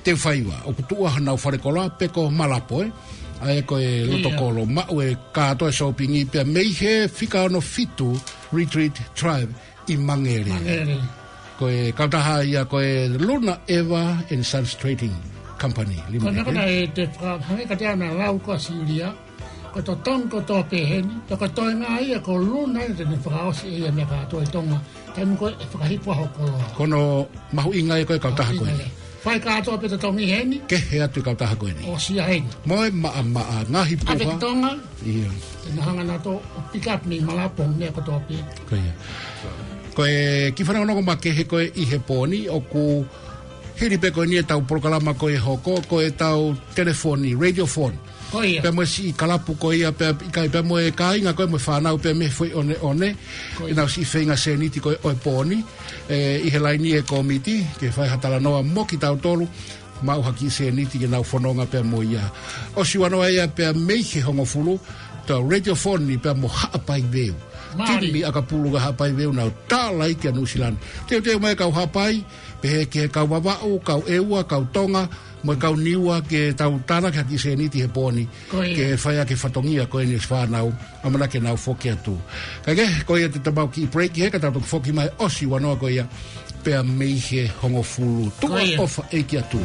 Teufaiva. ʻOku tuʻu ʻa honau fale koloa pe ko Malapo, ē? ʻA ia ko e loto kolo, maʻu e kātoa e shopping pea mei he fika ono fitu Retreat Drive ʻi Mangere. Mangere. Ko e kautaha ia ko e Luna Eva and Sons Trading Company Limited. Ko e meʻa ko ena ʻe te fakahangē ka te ana lau ko ā Silia, ko e totongi kotoa pē heni, pea ko e toenga ia ko Luna ia te ne fakaʻosi ʻe ia meʻa kātoa ʻi Tonga, taimi ko ē ʻe fakahifo ai hoʻo koloa. Ko hono mahuʻinga ia ko e kautaha ko eni. Mahuʻinga ia. Fai kātoa pē totongi heni. Kehe atu e kautaha ko eni. ʻOsi ia heni. Mo e maʻamaʻa, ngaahi puha. ʻAve ki Tonga. ʻIo. Te na hanga nautolu ʻo pick up mei Malapo, meʻa kotoa pē. Ko ia. Ko e kiʻi fanongonongo makehe ko ē ʻi he pō ni, ʻoku hili pē ko eni e tau polokalama ko ē hoko, ko e tau telefoni, radio phone. Ko ia. Pea mo e siʻi kalapu ko ia, pea ʻikai, pea mo e kāinga ko ē mo e fānau, pea mei he foʻi ʻoneʻone. Ko ia. ʻEnau siʻi feinga sēniti ko ē ʻo e pō ni, ē, ʻi he laini e kōmiti, ke fai ha talanoa mo kitautolu, maʻu ha kiʻi sēniti ke nau fononga pea mo ia. ʻOsi ua noa ia pea mei he hongofulu, tau radio phone ni pea mo Haʻapai Veu. Mālie. Timi ʻakapulu ʻa Haʻapai Veu nau tālaiki ʻa Nuʻusila ni. Teuteu mai kau Haʻapai, pehē ki he kau Vavaʻu, kau ʻEua, kau Tonga, mo e kau Niua ke tau tānaki ha kiʻi sēniti he pō ni. Ko ia. Ke fai ʻaki e fatongia ko eni e fānau, ʻamanaki ke nau foki atu. Kae kehe, ko ia te tau kiʻi break he ka tau toki foki mai ʻosi ua noa ko ia, pea mei he hongofulu. Ko ia. Tuʻa ʻofa ʻeiki atu.